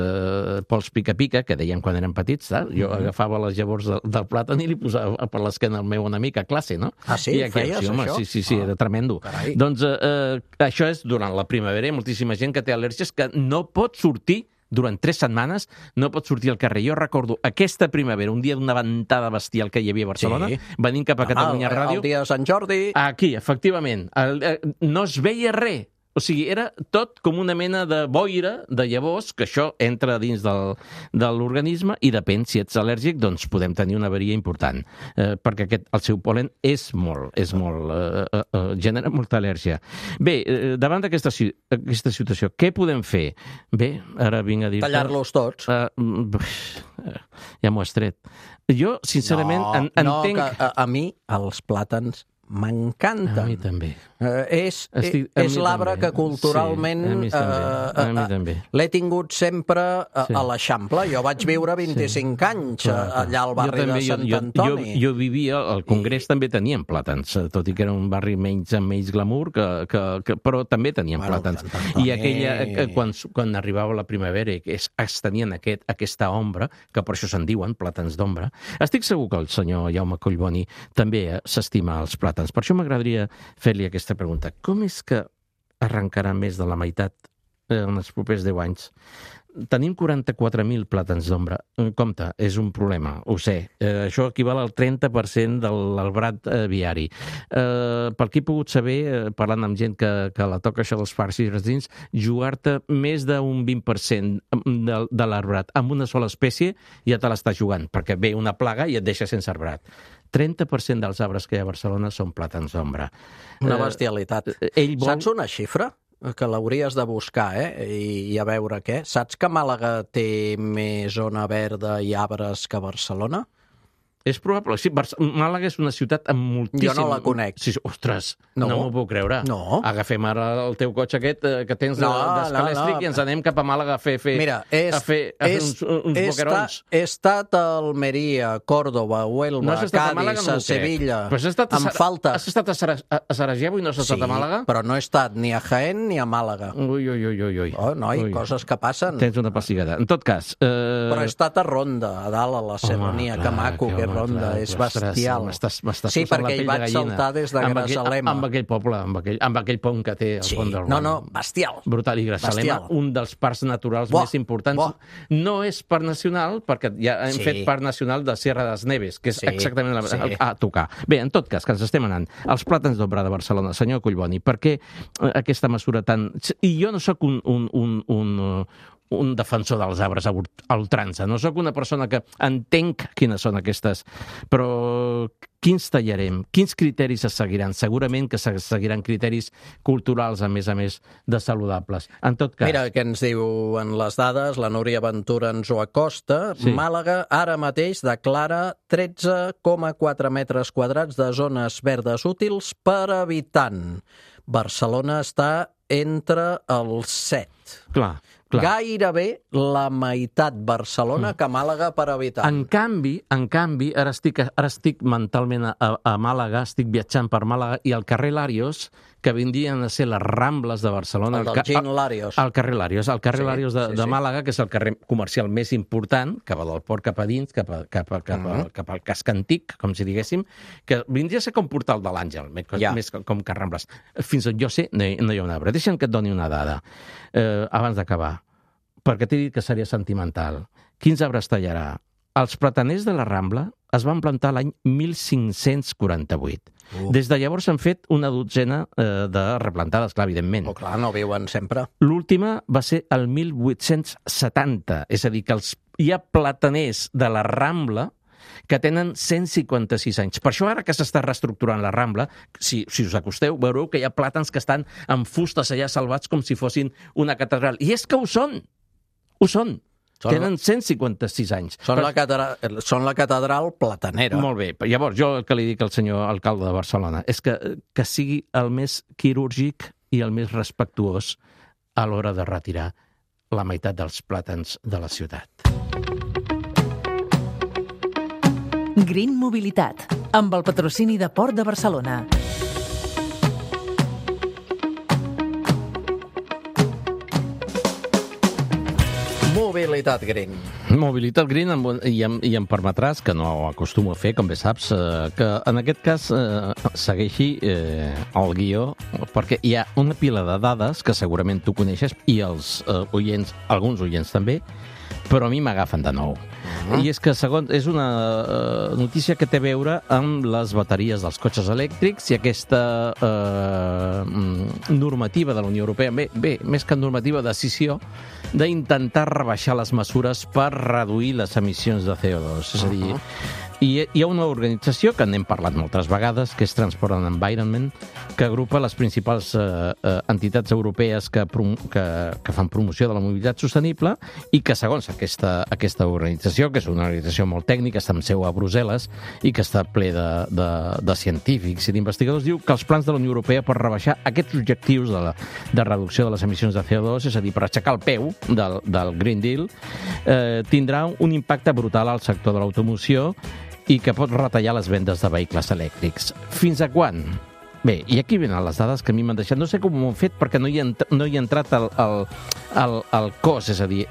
D: pols pica-pica, que dèiem quan érem petits, jo agafava les llavors del plàtan i li posava per l'esquena al meu enemic a classe, no?
E: Ah, sí? Feies això?
D: Sí, era tremendo. Doncs això és durant la primavera, hi ha moltíssima gent que té al·lèrgies que no pot sortir durant 3 setmanes, no pot sortir al carrer. Jo recordo aquesta primavera, un dia d'una ventada bestial que hi havia a Barcelona, venint cap a Catalunya Ràdio.
E: El dia de Sant Jordi.
D: Aquí, efectivament. No es veia res. O sigui, era tot com una mena de boira de llavors, que això entra dins de l'organisme i depèn si ets al·lèrgic, doncs podem tenir una avaria important, perquè el seu pol·len és molt, genera molta al·lèrgia. Bé, davant d'aquesta situació, què podem fer? Bé, ara vinc a dir...
E: Tallar-los tots.
D: Ja m'ho has tret. Jo, sincerament, entenc...
E: No, a mi els plàtans m'encanten.
D: A mi també.
E: És l'arbre que culturalment l'he tingut sempre a l'Eixample. Jo vaig viure 25 anys allà al barri de Sant Antoni.
D: Jo vivia, al Congrés també teníem plàtans, tot i que era un barri amb menys glamour, però també teníem plàtans. I quan arribava la primavera i es tenien aquesta ombra, que per això se'n diuen plàtans d'ombra, estic segur que el senyor Jaume Collboni també s'estima els plàtans. Per això m'agradaria fer-li aquesta pregunta. Com és que arrencarà més de la meitat en els propers 10 anys? Tenim 44.000 plàtans d'ombra. Compte, és un problema, ho sé. Això equival al 30% de l'arbrat viari. Pel que he pogut saber, parlant amb gent que la toca això dels parcs i jardins, jugar-te més d'un 20% de l'arbrat amb una sola espècie ja te l'està jugant, perquè ve una plaga i et deixa sense arbrat. 30% dels arbres que hi ha a Barcelona són plàtans d'ombra.
E: Una bestialitat. Saps una xifra? Que l'hauries de buscar, i a veure què. Saps que Màlaga té més zona verda i arbres que Barcelona?
D: És probable. Sí, Màlaga és una ciutat amb moltíssim...
E: Jo no la conec.
D: Sí, ostres, no m'ho puc creure.
E: No.
D: Agafem ara el teu cotxe aquest que tens d'escalèstric i ens anem cap a Màlaga a fer uns boquerons.
E: He estat a Almeria, Còrdova, Huelva, Cádiz, a Sevilla. Em falta.
D: Has estat a Sarajevo i no has estat a Màlaga?
E: Però no he estat ni a Jaén ni a Màlaga.
D: Ui.
E: Oh, noi, coses que passen.
D: Tens una pessigada. En tot cas...
E: Però he estat a Ronda, a dalt, a la Serrania, que maco, que Ronda, és bestial.
D: Sí,
E: perquè hi vaig saltar des de Grazalema.
D: Amb aquell poble, amb aquell pont que té al pont del Ron.
E: No, bestial.
D: Brutal. I Grazalema, un dels parcs naturals més importants. No és parc nacional, perquè ja hem fet parc nacional de Sierra das Neves, que és exactament a tocar. Bé, en tot cas, que ens estem anant. Els plàtans d'ombra de Barcelona, senyor Collboni, per què aquesta mesura tan... I jo no sóc un defensor dels arbres a ultrança, no sóc una persona que entenc quines són aquestes, però quins tallarem? Quins criteris es seguiran? Segurament que seguiran criteris culturals, a més de saludables. En tot cas...
E: Mira què ens diuen les dades, la Núria Ventura ens ho acosta. Sí. Màlaga ara mateix declara 13,4 metres quadrats de zones verdes útils per habitant. Barcelona està entre els 7.
D: Clar.
E: Gairebé la meitat Barcelona que Màlaga per habitant.
D: En canvi, ara estic mentalment a Màlaga, estic viatjant per Màlaga, i al carrer Larios, que vindrien a ser les Rambles de Barcelona...
E: El del Gin Larios.
D: El carrer Larios, Larios de Màlaga, que és el carrer comercial més important, cap del port, cap a dins, cap al casc antic, com si diguéssim, que vindria a ser com Portal de l'Àngel, més com que Rambles. Fins on jo sé, no hi ha un arbre. Deixa'm que et doni una dada, abans d'acabar, perquè t'he dit que seria sentimental. Quins arbres tallarà? Els plataners de la Rambla es van plantar l'any 1548. Des de llavors s'han fet una dotzena de replantades, clar, evidentment.
E: Clar, no viuen sempre.
D: L'última va ser el 1870, és a dir, que hi ha plataners de la Rambla que tenen 156 anys. Per això ara que s'està reestructurant la Rambla, si us acosteu, veureu que hi ha plàtans que estan amb fustes allà salvats com si fossin una catedral. I és que ho són! Ho són! Tenen 156 anys.
E: Són la catedral platanera.
D: Molt bé. Llavors, jo el que li dic al senyor alcalde de Barcelona és que sigui el més quirúrgic i el més respectuós a l'hora de retirar la meitat dels plàtans de la ciutat.
H: Green Mobilitat, amb el patrocini de Port de Barcelona.
E: Mobilitat Green.
D: Mobilitat Green, i em permetràs, que no ho acostumo a fer, com bé saps, que en aquest cas segueixi el guió, perquè hi ha una pila de dades que segurament tu coneixes, i els oients, alguns oients també, però a mi m'agafen de nou. I és que, segons, és una notícia que té a veure amb les bateries dels cotxes elèctrics i aquesta normativa de la Unió Europea, més que normativa, decisió d'intentar rebaixar les mesures per reduir les emissions de CO2. És a dir, hi ha una organització que n'hem parlat moltes vegades, que és Transport and Environment, que agrupa les principals entitats europees que fan promoció de la mobilitat sostenible i que, segons aquesta organització, que és una organització molt tècnica, està amb seu a Brussel·les i que està ple de científics i d'investigadors, diu que els plans de la Unió Europea per rebaixar aquests objectius de reducció de les emissions de CO2, és a dir, per aixecar el peu del Green Deal, tindrà un impacte brutal al sector de l'automoció i que pot retallar les vendes de vehicles elèctrics. Fins a quan? Bé, i aquí venen les dades que a mi m'han deixat. No sé com ho han fet perquè no hi ha entrat el cost, és a dir,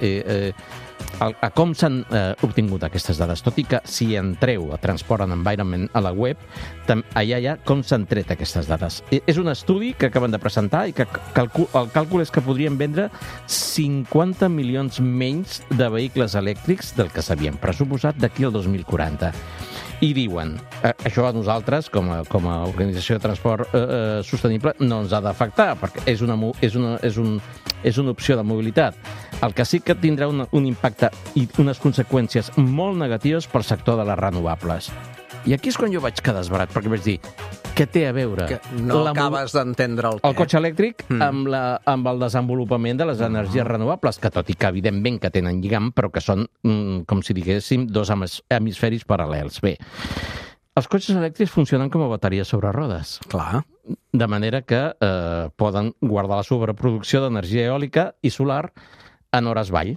D: a com s'han obtingut aquestes dades. Tot i que si entreu a Transport and Environment a la web, allà hi ha com s'han tret aquestes dades. És un estudi que acaben de presentar i que el càlcul és que podrien vendre 50 milions menys de vehicles elèctrics del que s'havien pressuposat d'aquí al 2040. I diuen, això a nosaltres, com a organització de transport sostenible, no ens ha d'afectar, perquè és una opció de mobilitat. El que sí que tindrà un impacte i unes conseqüències molt negatives pel sector de les renovables. I aquí és quan jo vaig quedar esbarat, perquè vaig dir, què té a veure
E: acabes d'entendre
D: el cotxe elèctric amb el desenvolupament de les energies renovables, que tot i que evidentment que tenen lligam, però que són, com si diguéssim, dos hemisferis paral·lels. Bé, els cotxes elèctrics funcionen com a bateries sobre rodes.
E: Clar.
D: De manera que poden guardar la sobreproducció d'energia eòlica i solar en hores vall.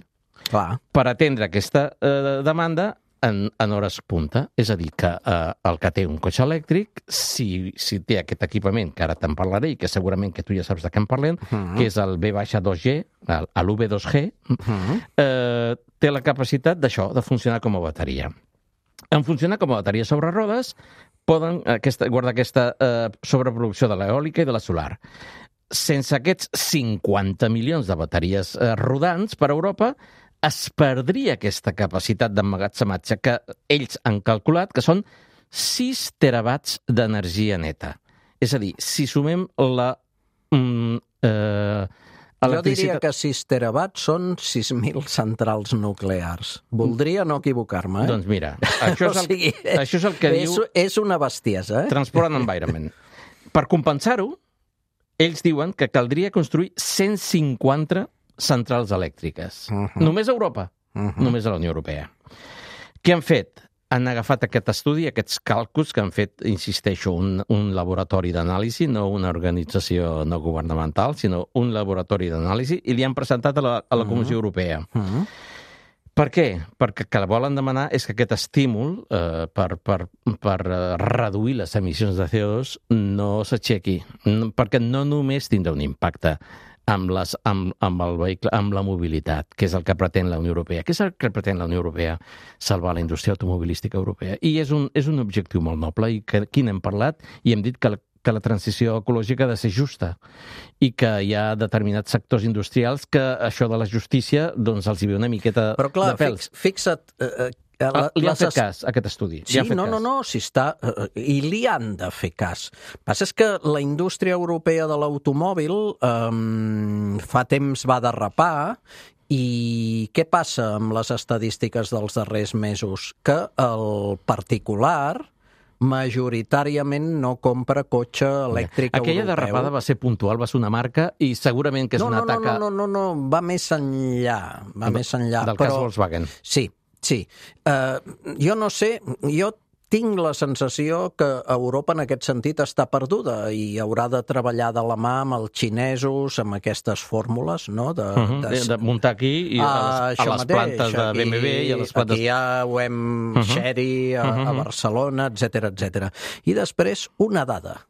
E: Clar.
D: Per atendre aquesta demanda en hores punta. És a dir, que el que té un cotxe elèctric, si té aquest equipament, que ara te'n parlaré i que segurament que tu ja saps de què en parlem, que és el V-2G, l'UV2G, té la capacitat d'això, de funcionar com a bateria. En funcionar com a bateria sobre rodes, poden guardar aquesta sobreproducció de l'eòlica i de la solar. Sense aquests 50 milions de bateries rodants per Europa, es perdria aquesta capacitat d'emmagatzematge que ells han calculat que són 6 terawatts d'energia neta. És a dir, si sumem
E: Jo diria que 6 terawatts són 6.000 centrals nuclears. Voldria no equivocar-me,
D: Doncs mira, això és el que diu...
E: És una bestiesa,
D: Transport and Environment. Per compensar-ho, ells diuen que caldria construir 150 centrals elèctriques. Només a Europa, només a la Unió Europea. Què han fet? Han agafat aquest estudi, aquests càlculs que han fet, insisteixo, un laboratori d'anàlisi, no una organització no governamental, sinó un laboratori d'anàlisi, i li han presentat a la Comissió Europea. Per què? Perquè el que volen demanar és que aquest estímul per reduir les emissions de CO2 no s'aixequi, perquè no només tindrà un impacte amb el vehicle, amb la mobilitat, que és el que pretén la Unió Europea. Què és el que pretén la Unió Europea? Salvar la indústria automobilística europea. I és un objectiu molt noble i que aquí n'hem parlat i hem dit que la transició ecològica ha de ser justa i que hi ha determinats sectors industrials que això de la justícia doncs els hi ve una miqueta de pèls.
E: Però clar, fixa't...
D: li han fet cas, aquest estudi.
E: Sí, no, si està... I li han de fer cas. El que passa és que la indústria europea de l'automòbil fa temps va derrapar i què passa amb les estadístiques dels darrers mesos? Que el particular majoritàriament no compra cotxe elèctric europeu.
D: Aquella derrapada va ser puntual, va ser una marca i segurament que és una taca...
E: No, va més enllà.
D: Del cas Volkswagen.
E: Sí. Jo no sé, jo tinc la sensació que Europa en aquest sentit està perduda i haurà de treballar de la mà amb els xinesos, amb aquestes fórmules, no? De
D: muntar aquí i a les plantes de BMW i a les plantes...
E: Aquí ja ho hem Chery, a Barcelona, etc. I després, una dada,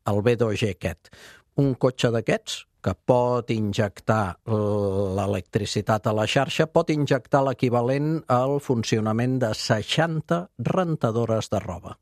E: el B2G aquest. Un cotxe d'aquests que pot injectar l'electricitat a la xarxa, pot injectar l'equivalent al funcionament de 60 rentadores de roba.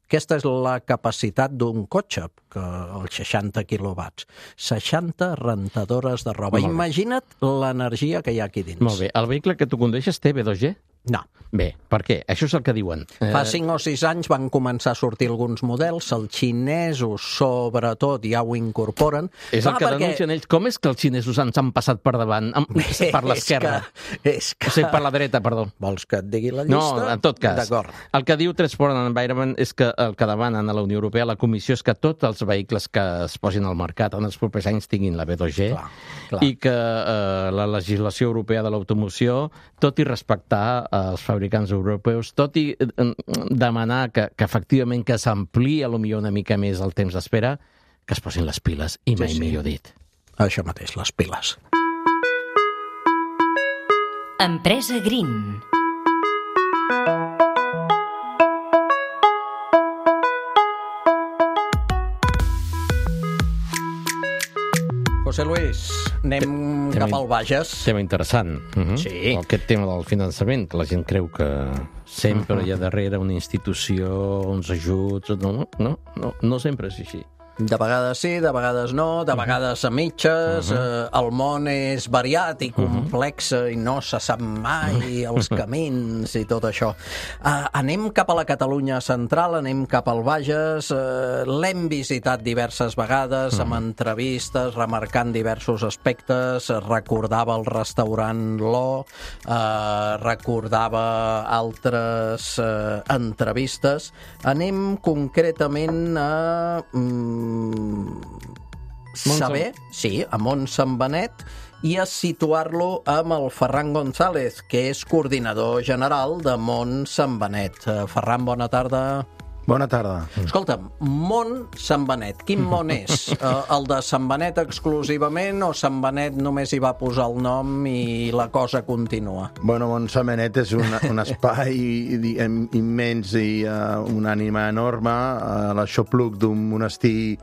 E: Aquesta és la capacitat d'un cotxe, que els 60 quilowatts. 60 rentadores de roba. Imagina't l'energia que hi ha aquí dins.
D: Molt bé. El vehicle que tu condueixes té B2G?
E: No.
D: Bé, per què? Això és el que diuen.
E: Fa 5 o 6 anys van començar a sortir alguns models, els xinesos, sobretot, ja ho incorporen.
D: És el que denuncien ells. Com és que els xinesos ens han passat per davant, per l'esquerra? O sigui, per la dreta, perdó.
E: Vols que et digui la llista?
D: No, en tot cas.
E: D'acord.
D: El que diu Transport and Environment és que el que demanen a la Unió Europea, la Comissió, és que tots els vehicles que es posin al mercat en els propers anys tinguin la B2G i que la legislació europea de l'automoció, tot i respectar els fabricants europeus, tot i demanar que efectivament que s'ampliï potser una mica més el temps d'espera, que es posin les piles, i mai millor dit.
E: Això mateix, les piles.
A: Empresa Green.
E: José Luis, anem cap al Bages.
D: Tema interessant.
E: Sí.
D: Aquest tema del finançament, que la gent creu que sempre hi ha darrere una institució, uns ajuts... No sempre és així.
E: De vegades sí, de vegades no, de vegades a mitges, el món és variat i complex i no se sap mai els camins i tot això. Anem cap a la Catalunya central, anem cap al Bages, l'hem visitat diverses vegades amb entrevistes, remarcant diversos aspectes, recordava el restaurant Lo, recordava altres entrevistes. Anem concretament a... saber, sí, a Montsant Benet, i a situar-lo amb el Ferran González, que és coordinador general de Montsant Benet. Ferran, bona tarda.
I: Bona tarda.
E: Escolta, Sant Benet, quin món és? El de Sant Benet exclusivament o Sant Benet només hi va posar el nom i la cosa continua?
I: Bueno, Sant Benet és un espai immens i una ànima enorme, l'aixopluc d'un monestir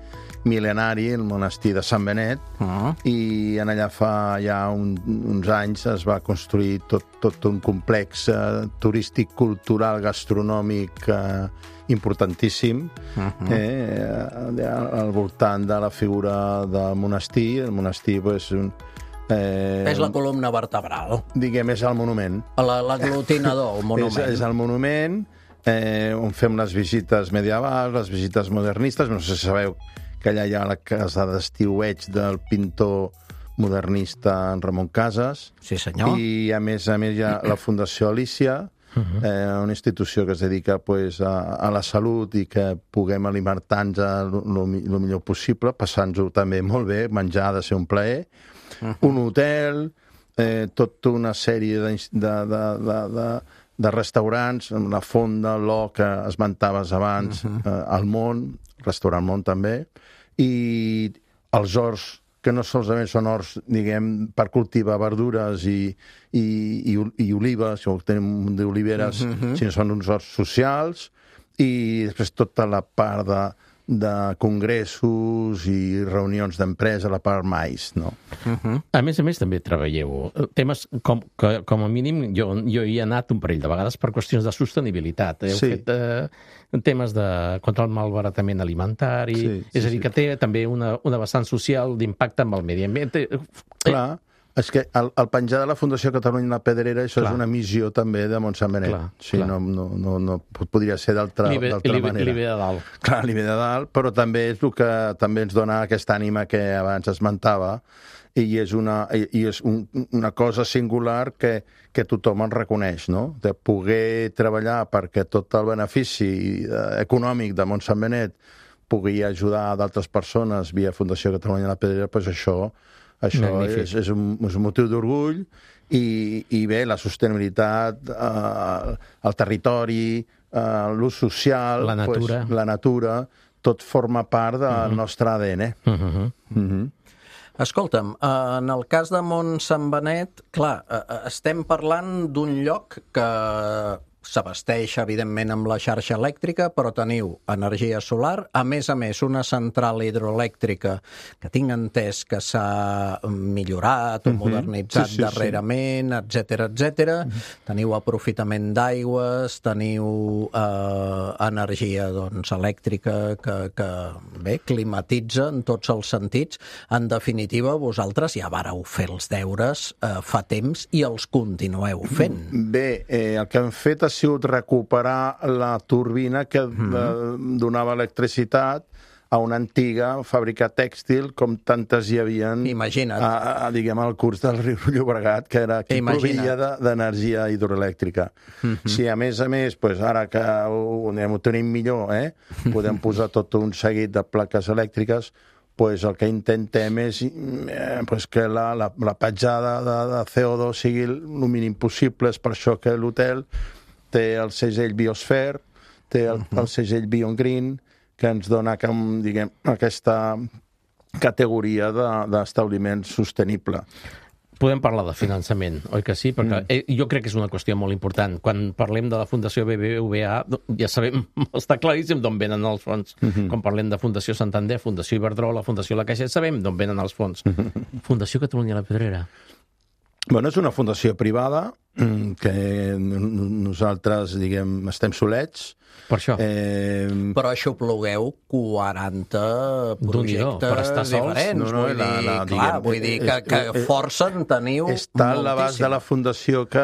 I: mil·lenari, el monestir de Sant Benet, i en allà fa ja uns anys es va construir tot un complex turístic, cultural, gastronòmic importantíssim al voltant de la figura del monestir. El monestir és
E: és la columna vertebral.
I: Diguem, és el monument.
E: L'aglutinador, el monument.
I: És el monument on fem les visites medievals, les visites modernistes. No sé si sabeu que allà hi ha la casa d'estiueig del pintor modernista en Ramon Casas.
E: Sí, senyor.
I: I, a més hi ha la Fundació Alícia, una institució que es dedica pues, a la salut i que puguem alimentar-nos el millor possible, passant-nos-ho també molt bé, menjar ha de ser un plaer, un hotel, tota una sèrie de restaurants, la Fonda, l'O, que esmentaves abans, el Món, restaurant Món també, i els horts, que no solament són horts, diguem, per cultivar verdures i olives, o tenim d'oliveres, sinó són uns horts socials, i després tota la part de congressos i reunions d'empresa, la part mais, no?
D: A més, també treballeu temes com a mínim, jo hi he anat un parell de vegades per qüestions de sostenibilitat. Heu fet temes contra el malbaratament alimentari, és a dir, que té també una vessant social d'impacte amb el medi ambient.
I: Clar, és que el penjar de la Fundació Catalunya La Pedrera, això és una missió també de Montsant Benet. Sí, no podria ser d'altra manera.
D: Li ve de dalt.
I: Clar, li ve de dalt, però també és el que també ens dona aquesta ànima que abans esmentava, i és una cosa singular que tothom en reconeix, no? De poder treballar perquè tot el benefici econòmic de Montsant Benet pugui ajudar d'altres persones via Fundació Catalunya La Pedrera, doncs això és un motiu d'orgull i bé, la sostenibilitat, el territori, l'ús social, la natura, tot forma part del nostre ADN.
E: Escolta'm, en el cas de Montsant Benet, clar, estem parlant d'un lloc que s'abasteix, evidentment, amb la xarxa elèctrica, però teniu energia solar, a més, una central hidroelèctrica que tinc entès que s'ha millorat o modernitzat darrerament, etc. Teniu aprofitament d'aigües, teniu energia elèctrica que bé, climatitza en tots els sentits. En definitiva, vosaltres ja vareu fer els deures fa temps i els continueu fent.
I: Bé, el que hem fet ha sigut recuperar la turbina que donava electricitat a una antiga fàbrica tèxtil, com tantes hi havien, diguem, al curs del riu Llobregat, que era qui provia d'energia hidroelèctrica. Si a més, ara que ho tenim millor, podem posar tot un seguit de plaques elèctriques, el que intentem és que la petjada de CO2 sigui el mínim possible. És per això que l'hotel té el segell Biosphere, té el segell Beyond Green, que ens dona, diguem, aquesta categoria d'establiment sostenible.
D: Podem parlar de finançament, oi que sí? Perquè jo crec que és una qüestió molt important. Quan parlem de la Fundació BBVA, ja sabem, està claríssim d'on venen els fons. Quan parlem de Fundació Santander, Fundació Iberdrola, Fundació La Caixa, sabem d'on venen els fons. Fundació Catalunya La Pedrera.
I: Bueno, és una fundació privada que nosaltres, diguem, estem solets.
D: Per això.
E: Però aixoplugueu 40 projectes diferents. Vull dir que força en teniu moltíssim.
I: Està a l'abast de la fundació que,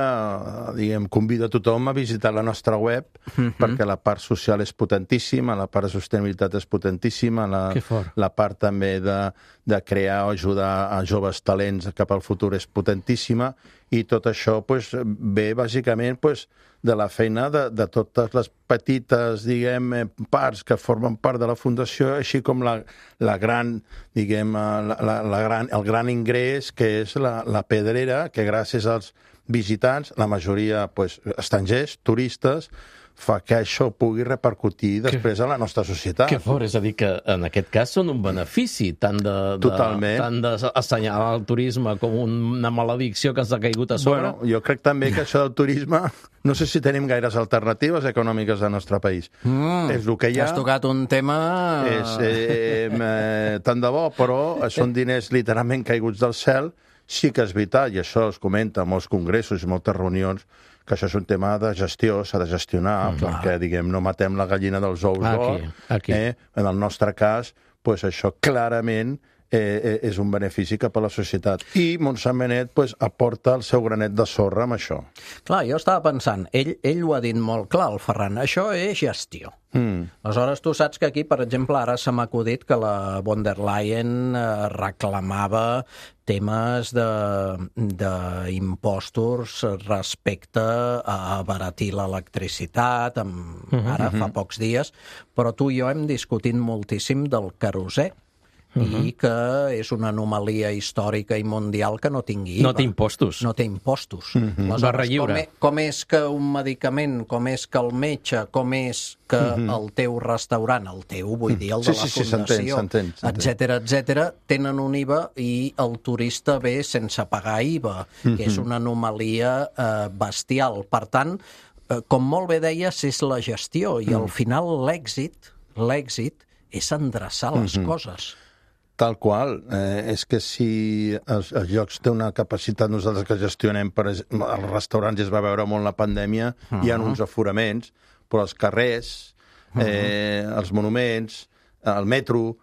I: diguem, convida tothom a visitar la nostra web, perquè la part social és potentíssima, la part de sostenibilitat és potentíssima, la part també de crear o ajudar a joves talents cap al futur és potentíssima, i tot això ve bàsicament de la feina de totes les petites, diguem, parts que formen part de la Fundació, així com la gran, diguem, el gran ingrés, que és la Pedrera, que gràcies als visitants, la majoria estrangers, turistes, fa que això pugui repercutir després a la nostra societat.
D: Que fort, és a dir, que en aquest cas són un benefici, tant d'assenyalar el turisme com una maledicció que ens ha caigut a sobre.
I: Bueno, jo crec també que això del turisme, no sé si tenim gaires alternatives econòmiques al nostre país. És el que hi ha.
E: Has tocat un tema...
I: Tant de bo, però són diners literalment caiguts del cel. Sí que és veritat, i això es comenta en molts congressos i moltes reunions, que això és un tema de gestió, s'ha de gestionar, perquè, diguem, no matem la gallina dels ous d'or. En el nostre cas, això clarament és un benefici cap a la societat. I Montsant Benet aporta el seu granet de sorra amb això.
E: Clar, jo estava pensant, ell ho ha dit molt clar, el Ferran, això és gestió. Aleshores, tu saps que aquí, per exemple, ara se m'ha acudit que la von der Leyen reclamava temes d'impostos respecte a abaratir l'electricitat, ara fa pocs dies, però tu i jo hem discutit moltíssim del querosè, i que és una anomalia històrica i mundial que no tingui IVA.
D: No té impostos.
E: No té impostos.
D: Barra lliure.
E: Com és que un medicament, com és que el metge, com és que el teu restaurant, el teu, vull dir, el de la fundació, etcètera, tenen un IVA i el turista ve sense pagar IVA, que és una anomalia bestial. Per tant, com molt bé deies, és la gestió i al final l'èxit és endreçar les coses.
I: Tal qual. És que si els llocs té una capacitat, nosaltres que gestionem, als restaurants ja es va veure molt la pandèmia, hi ha uns aforaments, però els carrers, els monuments, el metro,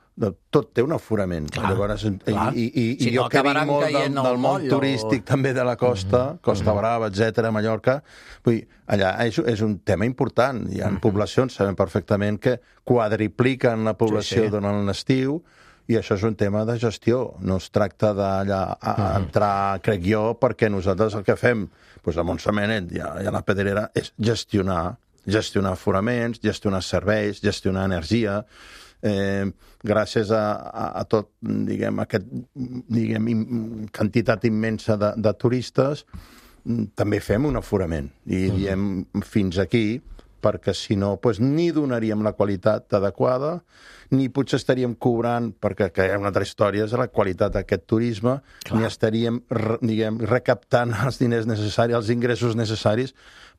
I: tot té un aforament. Llavors, i jo que vinc molt del món turístic també de la costa, Costa Brava, etc., Mallorca, vull dir, allà és un tema important. Hi ha poblacions, sabem perfectament, que quadripliquen la població durant l'estiu, i això és un tema de gestió. No es tracta d'entrar, crec jo, perquè nosaltres el que fem a Montsant Benet i a la Pedrera és gestionar aforaments, gestionar serveis, gestionar energia, gràcies a tot, quantitat immensa de turistes, també fem un aforament. I diem fins aquí, perquè si no, ni donaríem la qualitat adequada, ni potser estaríem cobrant, perquè hi ha una altra història, és la qualitat d'aquest turisme, ni estaríem, recaptant els diners necessaris, els ingressos necessaris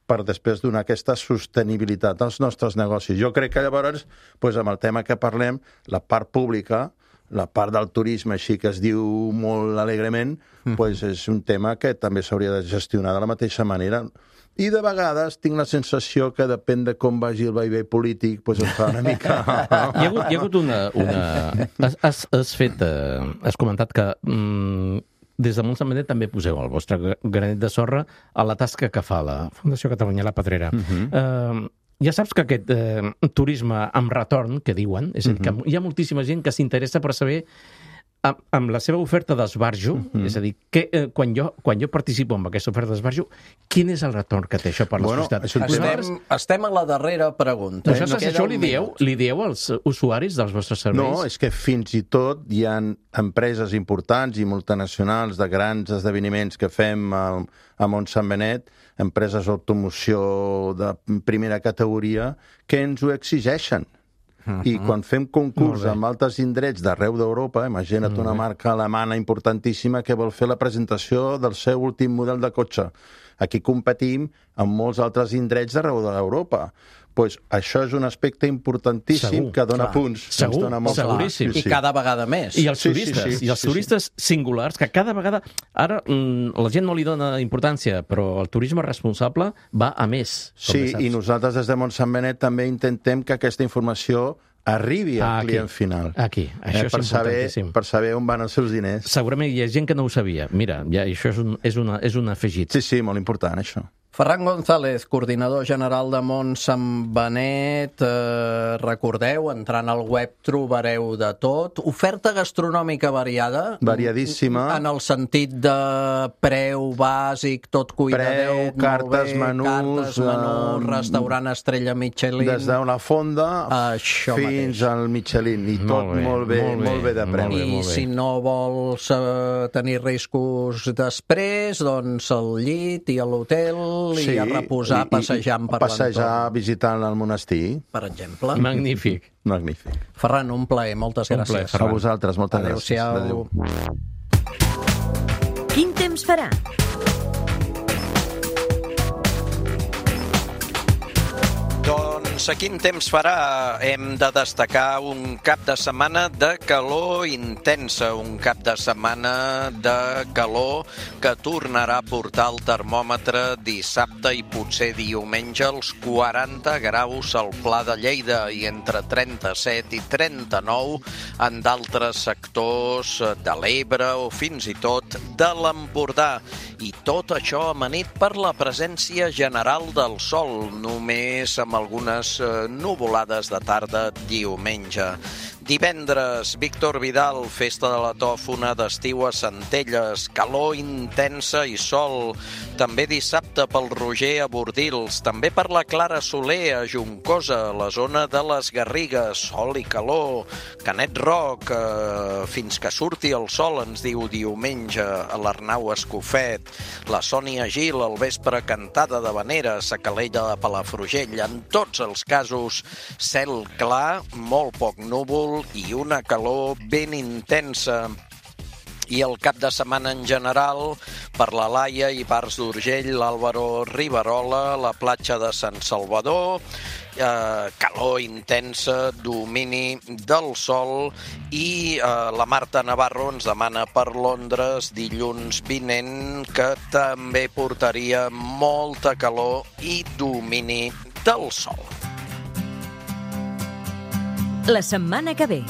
I: per després donar aquesta sostenibilitat als nostres negocis. Jo crec que llavors, amb el tema que parlem, la part pública, la part del turisme, així que es diu molt alegrement, és un tema que també s'hauria de gestionar de la mateixa manera. I de vegades tinc la sensació que depèn de com vagi el vaivé polític, em fa una mica...
D: Hi ha hagut una... Has comentat que des de Montsant Benet també poseu el vostre granet de sorra a la tasca que fa la Fundació Catalunya La Pedrera. Ja saps que aquest turisme amb retorn, que diuen, és a dir, que hi ha moltíssima gent que s'interessa per saber amb la seva oferta d'esbarjo, és a dir, quan jo participo en aquesta oferta d'esbarjo, quin és el retorn que té això per la societat?
E: Estem a la darrera pregunta.
D: Això li dieu als usuaris dels vostres serveis?
I: No, és que fins i tot hi ha empreses importants i multinacionals de grans esdeveniments que fem a Montsant Benet, empreses d'automoció de primera categoria, que ens ho exigeixen. I quan fem concurs amb altres indrets d'arreu d'Europa, imagina't una marca alemana importantíssima que vol fer la presentació del seu últim model de cotxe. Aquí competim amb molts altres indrets d'arreu d'Europa. Això és un aspecte importantíssim que dona punts.
D: Segur, seguríssim.
E: I cada vegada més.
D: I els turistes singulars, que cada vegada... Ara la gent no li dona importància, però el turisme responsable va a més.
I: Sí, i nosaltres des de Montsant Benet també intentem que aquesta informació arribi al client final.
D: Aquí, això és importantíssim.
I: Per saber on van els seus diners.
D: Segurament hi ha gent que no ho sabia. Mira, això és un afegit.
I: Sí, molt important, això.
E: Ferran González, coordinador general de Montsant Benet. Recordeu, entrant al web trobareu de tot. Oferta gastronòmica variada.
I: Variadíssima.
E: En el sentit de preu bàsic, tot cuidadet.
I: Preu, cartes, menús,
E: restaurant estrella Michelin.
I: Des de la fonda fins al Michelin. I tot molt bé de preu.
E: I si no vols tenir riscos després, doncs al llit i a l'hotel i a reposar passejant per l'entorn.
I: Passejar visitant el monestir.
E: Per exemple.
D: Magnífic.
E: Ferran, un plaer, moltes gràcies.
I: A vosaltres, moltes gràcies.
E: Adéu-siau.
A: Quin temps farà?
C: Doncs quin temps farà? Hem de destacar un cap de setmana de calor intensa, un cap de setmana de calor que tornarà a portar el termòmetre dissabte i potser diumenge als 40 graus al Pla de Lleida i entre 37 i 39 en d'altres sectors de l'Ebre o fins i tot de l'Empordà. I tot això amanit per la presència general del sol, només amb algunes nuvolades de tarda diumenge. Divendres, Víctor Vidal, festa de la tòfona d'estiu a Centelles, calor intensa i sol. També dissabte pel Roger a Bordils, també per la Clara Soler a Juncosa, la zona de les Garrigues, sol i calor. Canet Roc, fins que surti el sol, ens diu diumenge, a l'Arnau Escofet. La Sònia Gil, al vespre cantada de Vaneres, a Calella de Palafrugell. En tots els casos, cel clar, molt poc núvol i una calor ben intensa. I el cap de setmana en general, per la Laia i Bars d'Urgell, l'Àlvaro Riverola, la platja de Sant Salvador, calor intensa, domini del sol i la Marta Navarro ens demana per Londres dilluns vinent que també portaria molta calor i domini del sol.
A: La setmana que ve.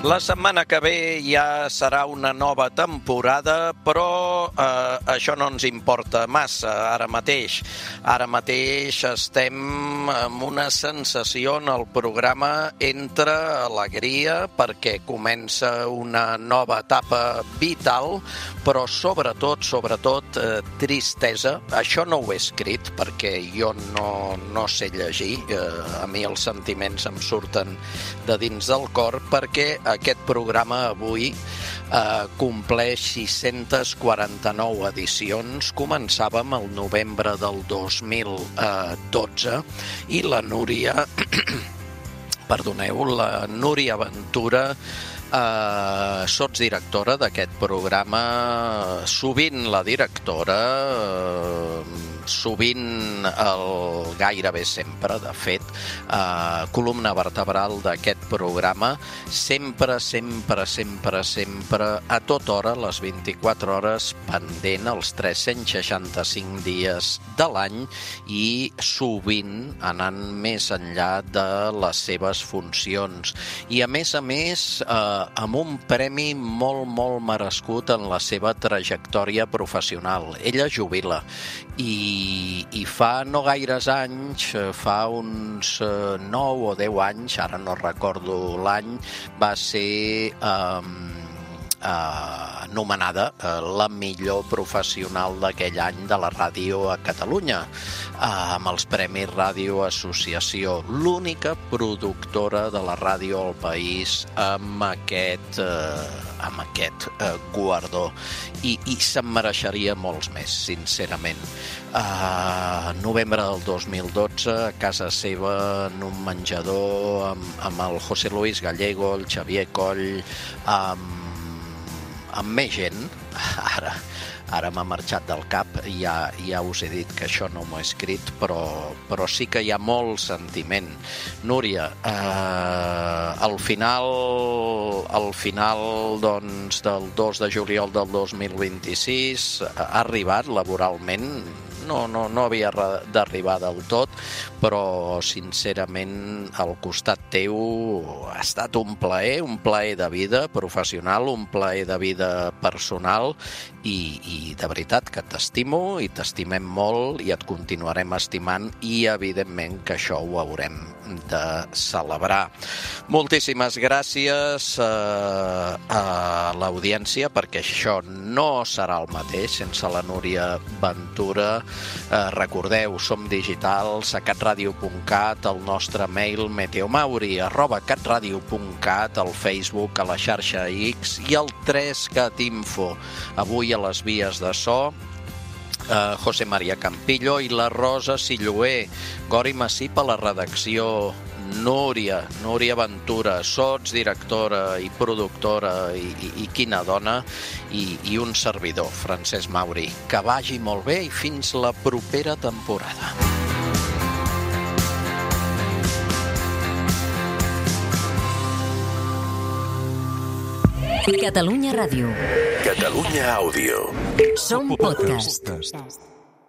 C: La setmana que ve ja serà una nova temporada, però això no ens importa massa ara mateix. Ara mateix estem amb una sensació en el programa entre alegria, perquè comença una nova etapa vital, però sobretot, tristesa. Això no ho he escrit, perquè jo no sé llegir. A mi els sentiments em surten de dins del cor, perquè aquest programa avui compleix 649 edicions. Començàvem el novembre del 2012 i la Núria, la Núria Ventura, sotsdirectora d'aquest programa, sovint la directora, sovint gairebé sempre, de fet, columna vertebral d'aquest programa, sempre, a tota hora, les 24 hores, pendent els 365 dies de l'any i sovint anant més enllà de les seves funcions. I a més, amb un premi molt merescut en la seva trajectòria professional. Ella jubila i fa no gaires anys, fa uns 9 o 10 anys, ara no recordo l'any, va ser anomenada la millor professional d'aquell any de la ràdio a Catalunya, amb els Premis Ràdio Associació, l'única productora de la ràdio al país amb aquest guardó. I se'n mereixeria molts més, sincerament. Novembre del 2012, a casa seva, en un menjador, amb el José Luis Gallego, el Xavier Coll, amb més gent. Ara m'ha marxat del cap, ja us he dit que això no m'ho he escrit, però sí que hi ha molt sentiment. Núria, al final doncs, del 2 de juliol del 2026 ha arribat laboralment. No havia d'arribar del tot, però sincerament al costat teu ha estat un plaer de vida professional, un plaer de vida personal i de veritat que t'estimo i t'estimem molt i et continuarem estimant i evidentment que això ho haurem de celebrar. Moltíssimes gràcies a l'audiència, perquè això no serà el mateix sense la Núria Ventura. Recordeu, som digitals a catradio.cat, el nostre mail meteomauri@catradio.cat, al Facebook, a la xarxa X i al 3catinfo. Avui a les vies de so, José María Campillo i la Rosa Silloé. Gori Massip a la redacció, Núria Ventura, sotsdirectora i productora, i quina dona, i un servidor, Francesc Mauri. Que vagi molt bé i fins la propera temporada.
A: Catalunya Ràdio.
B: Catalunya Àudio.
A: Som podcast.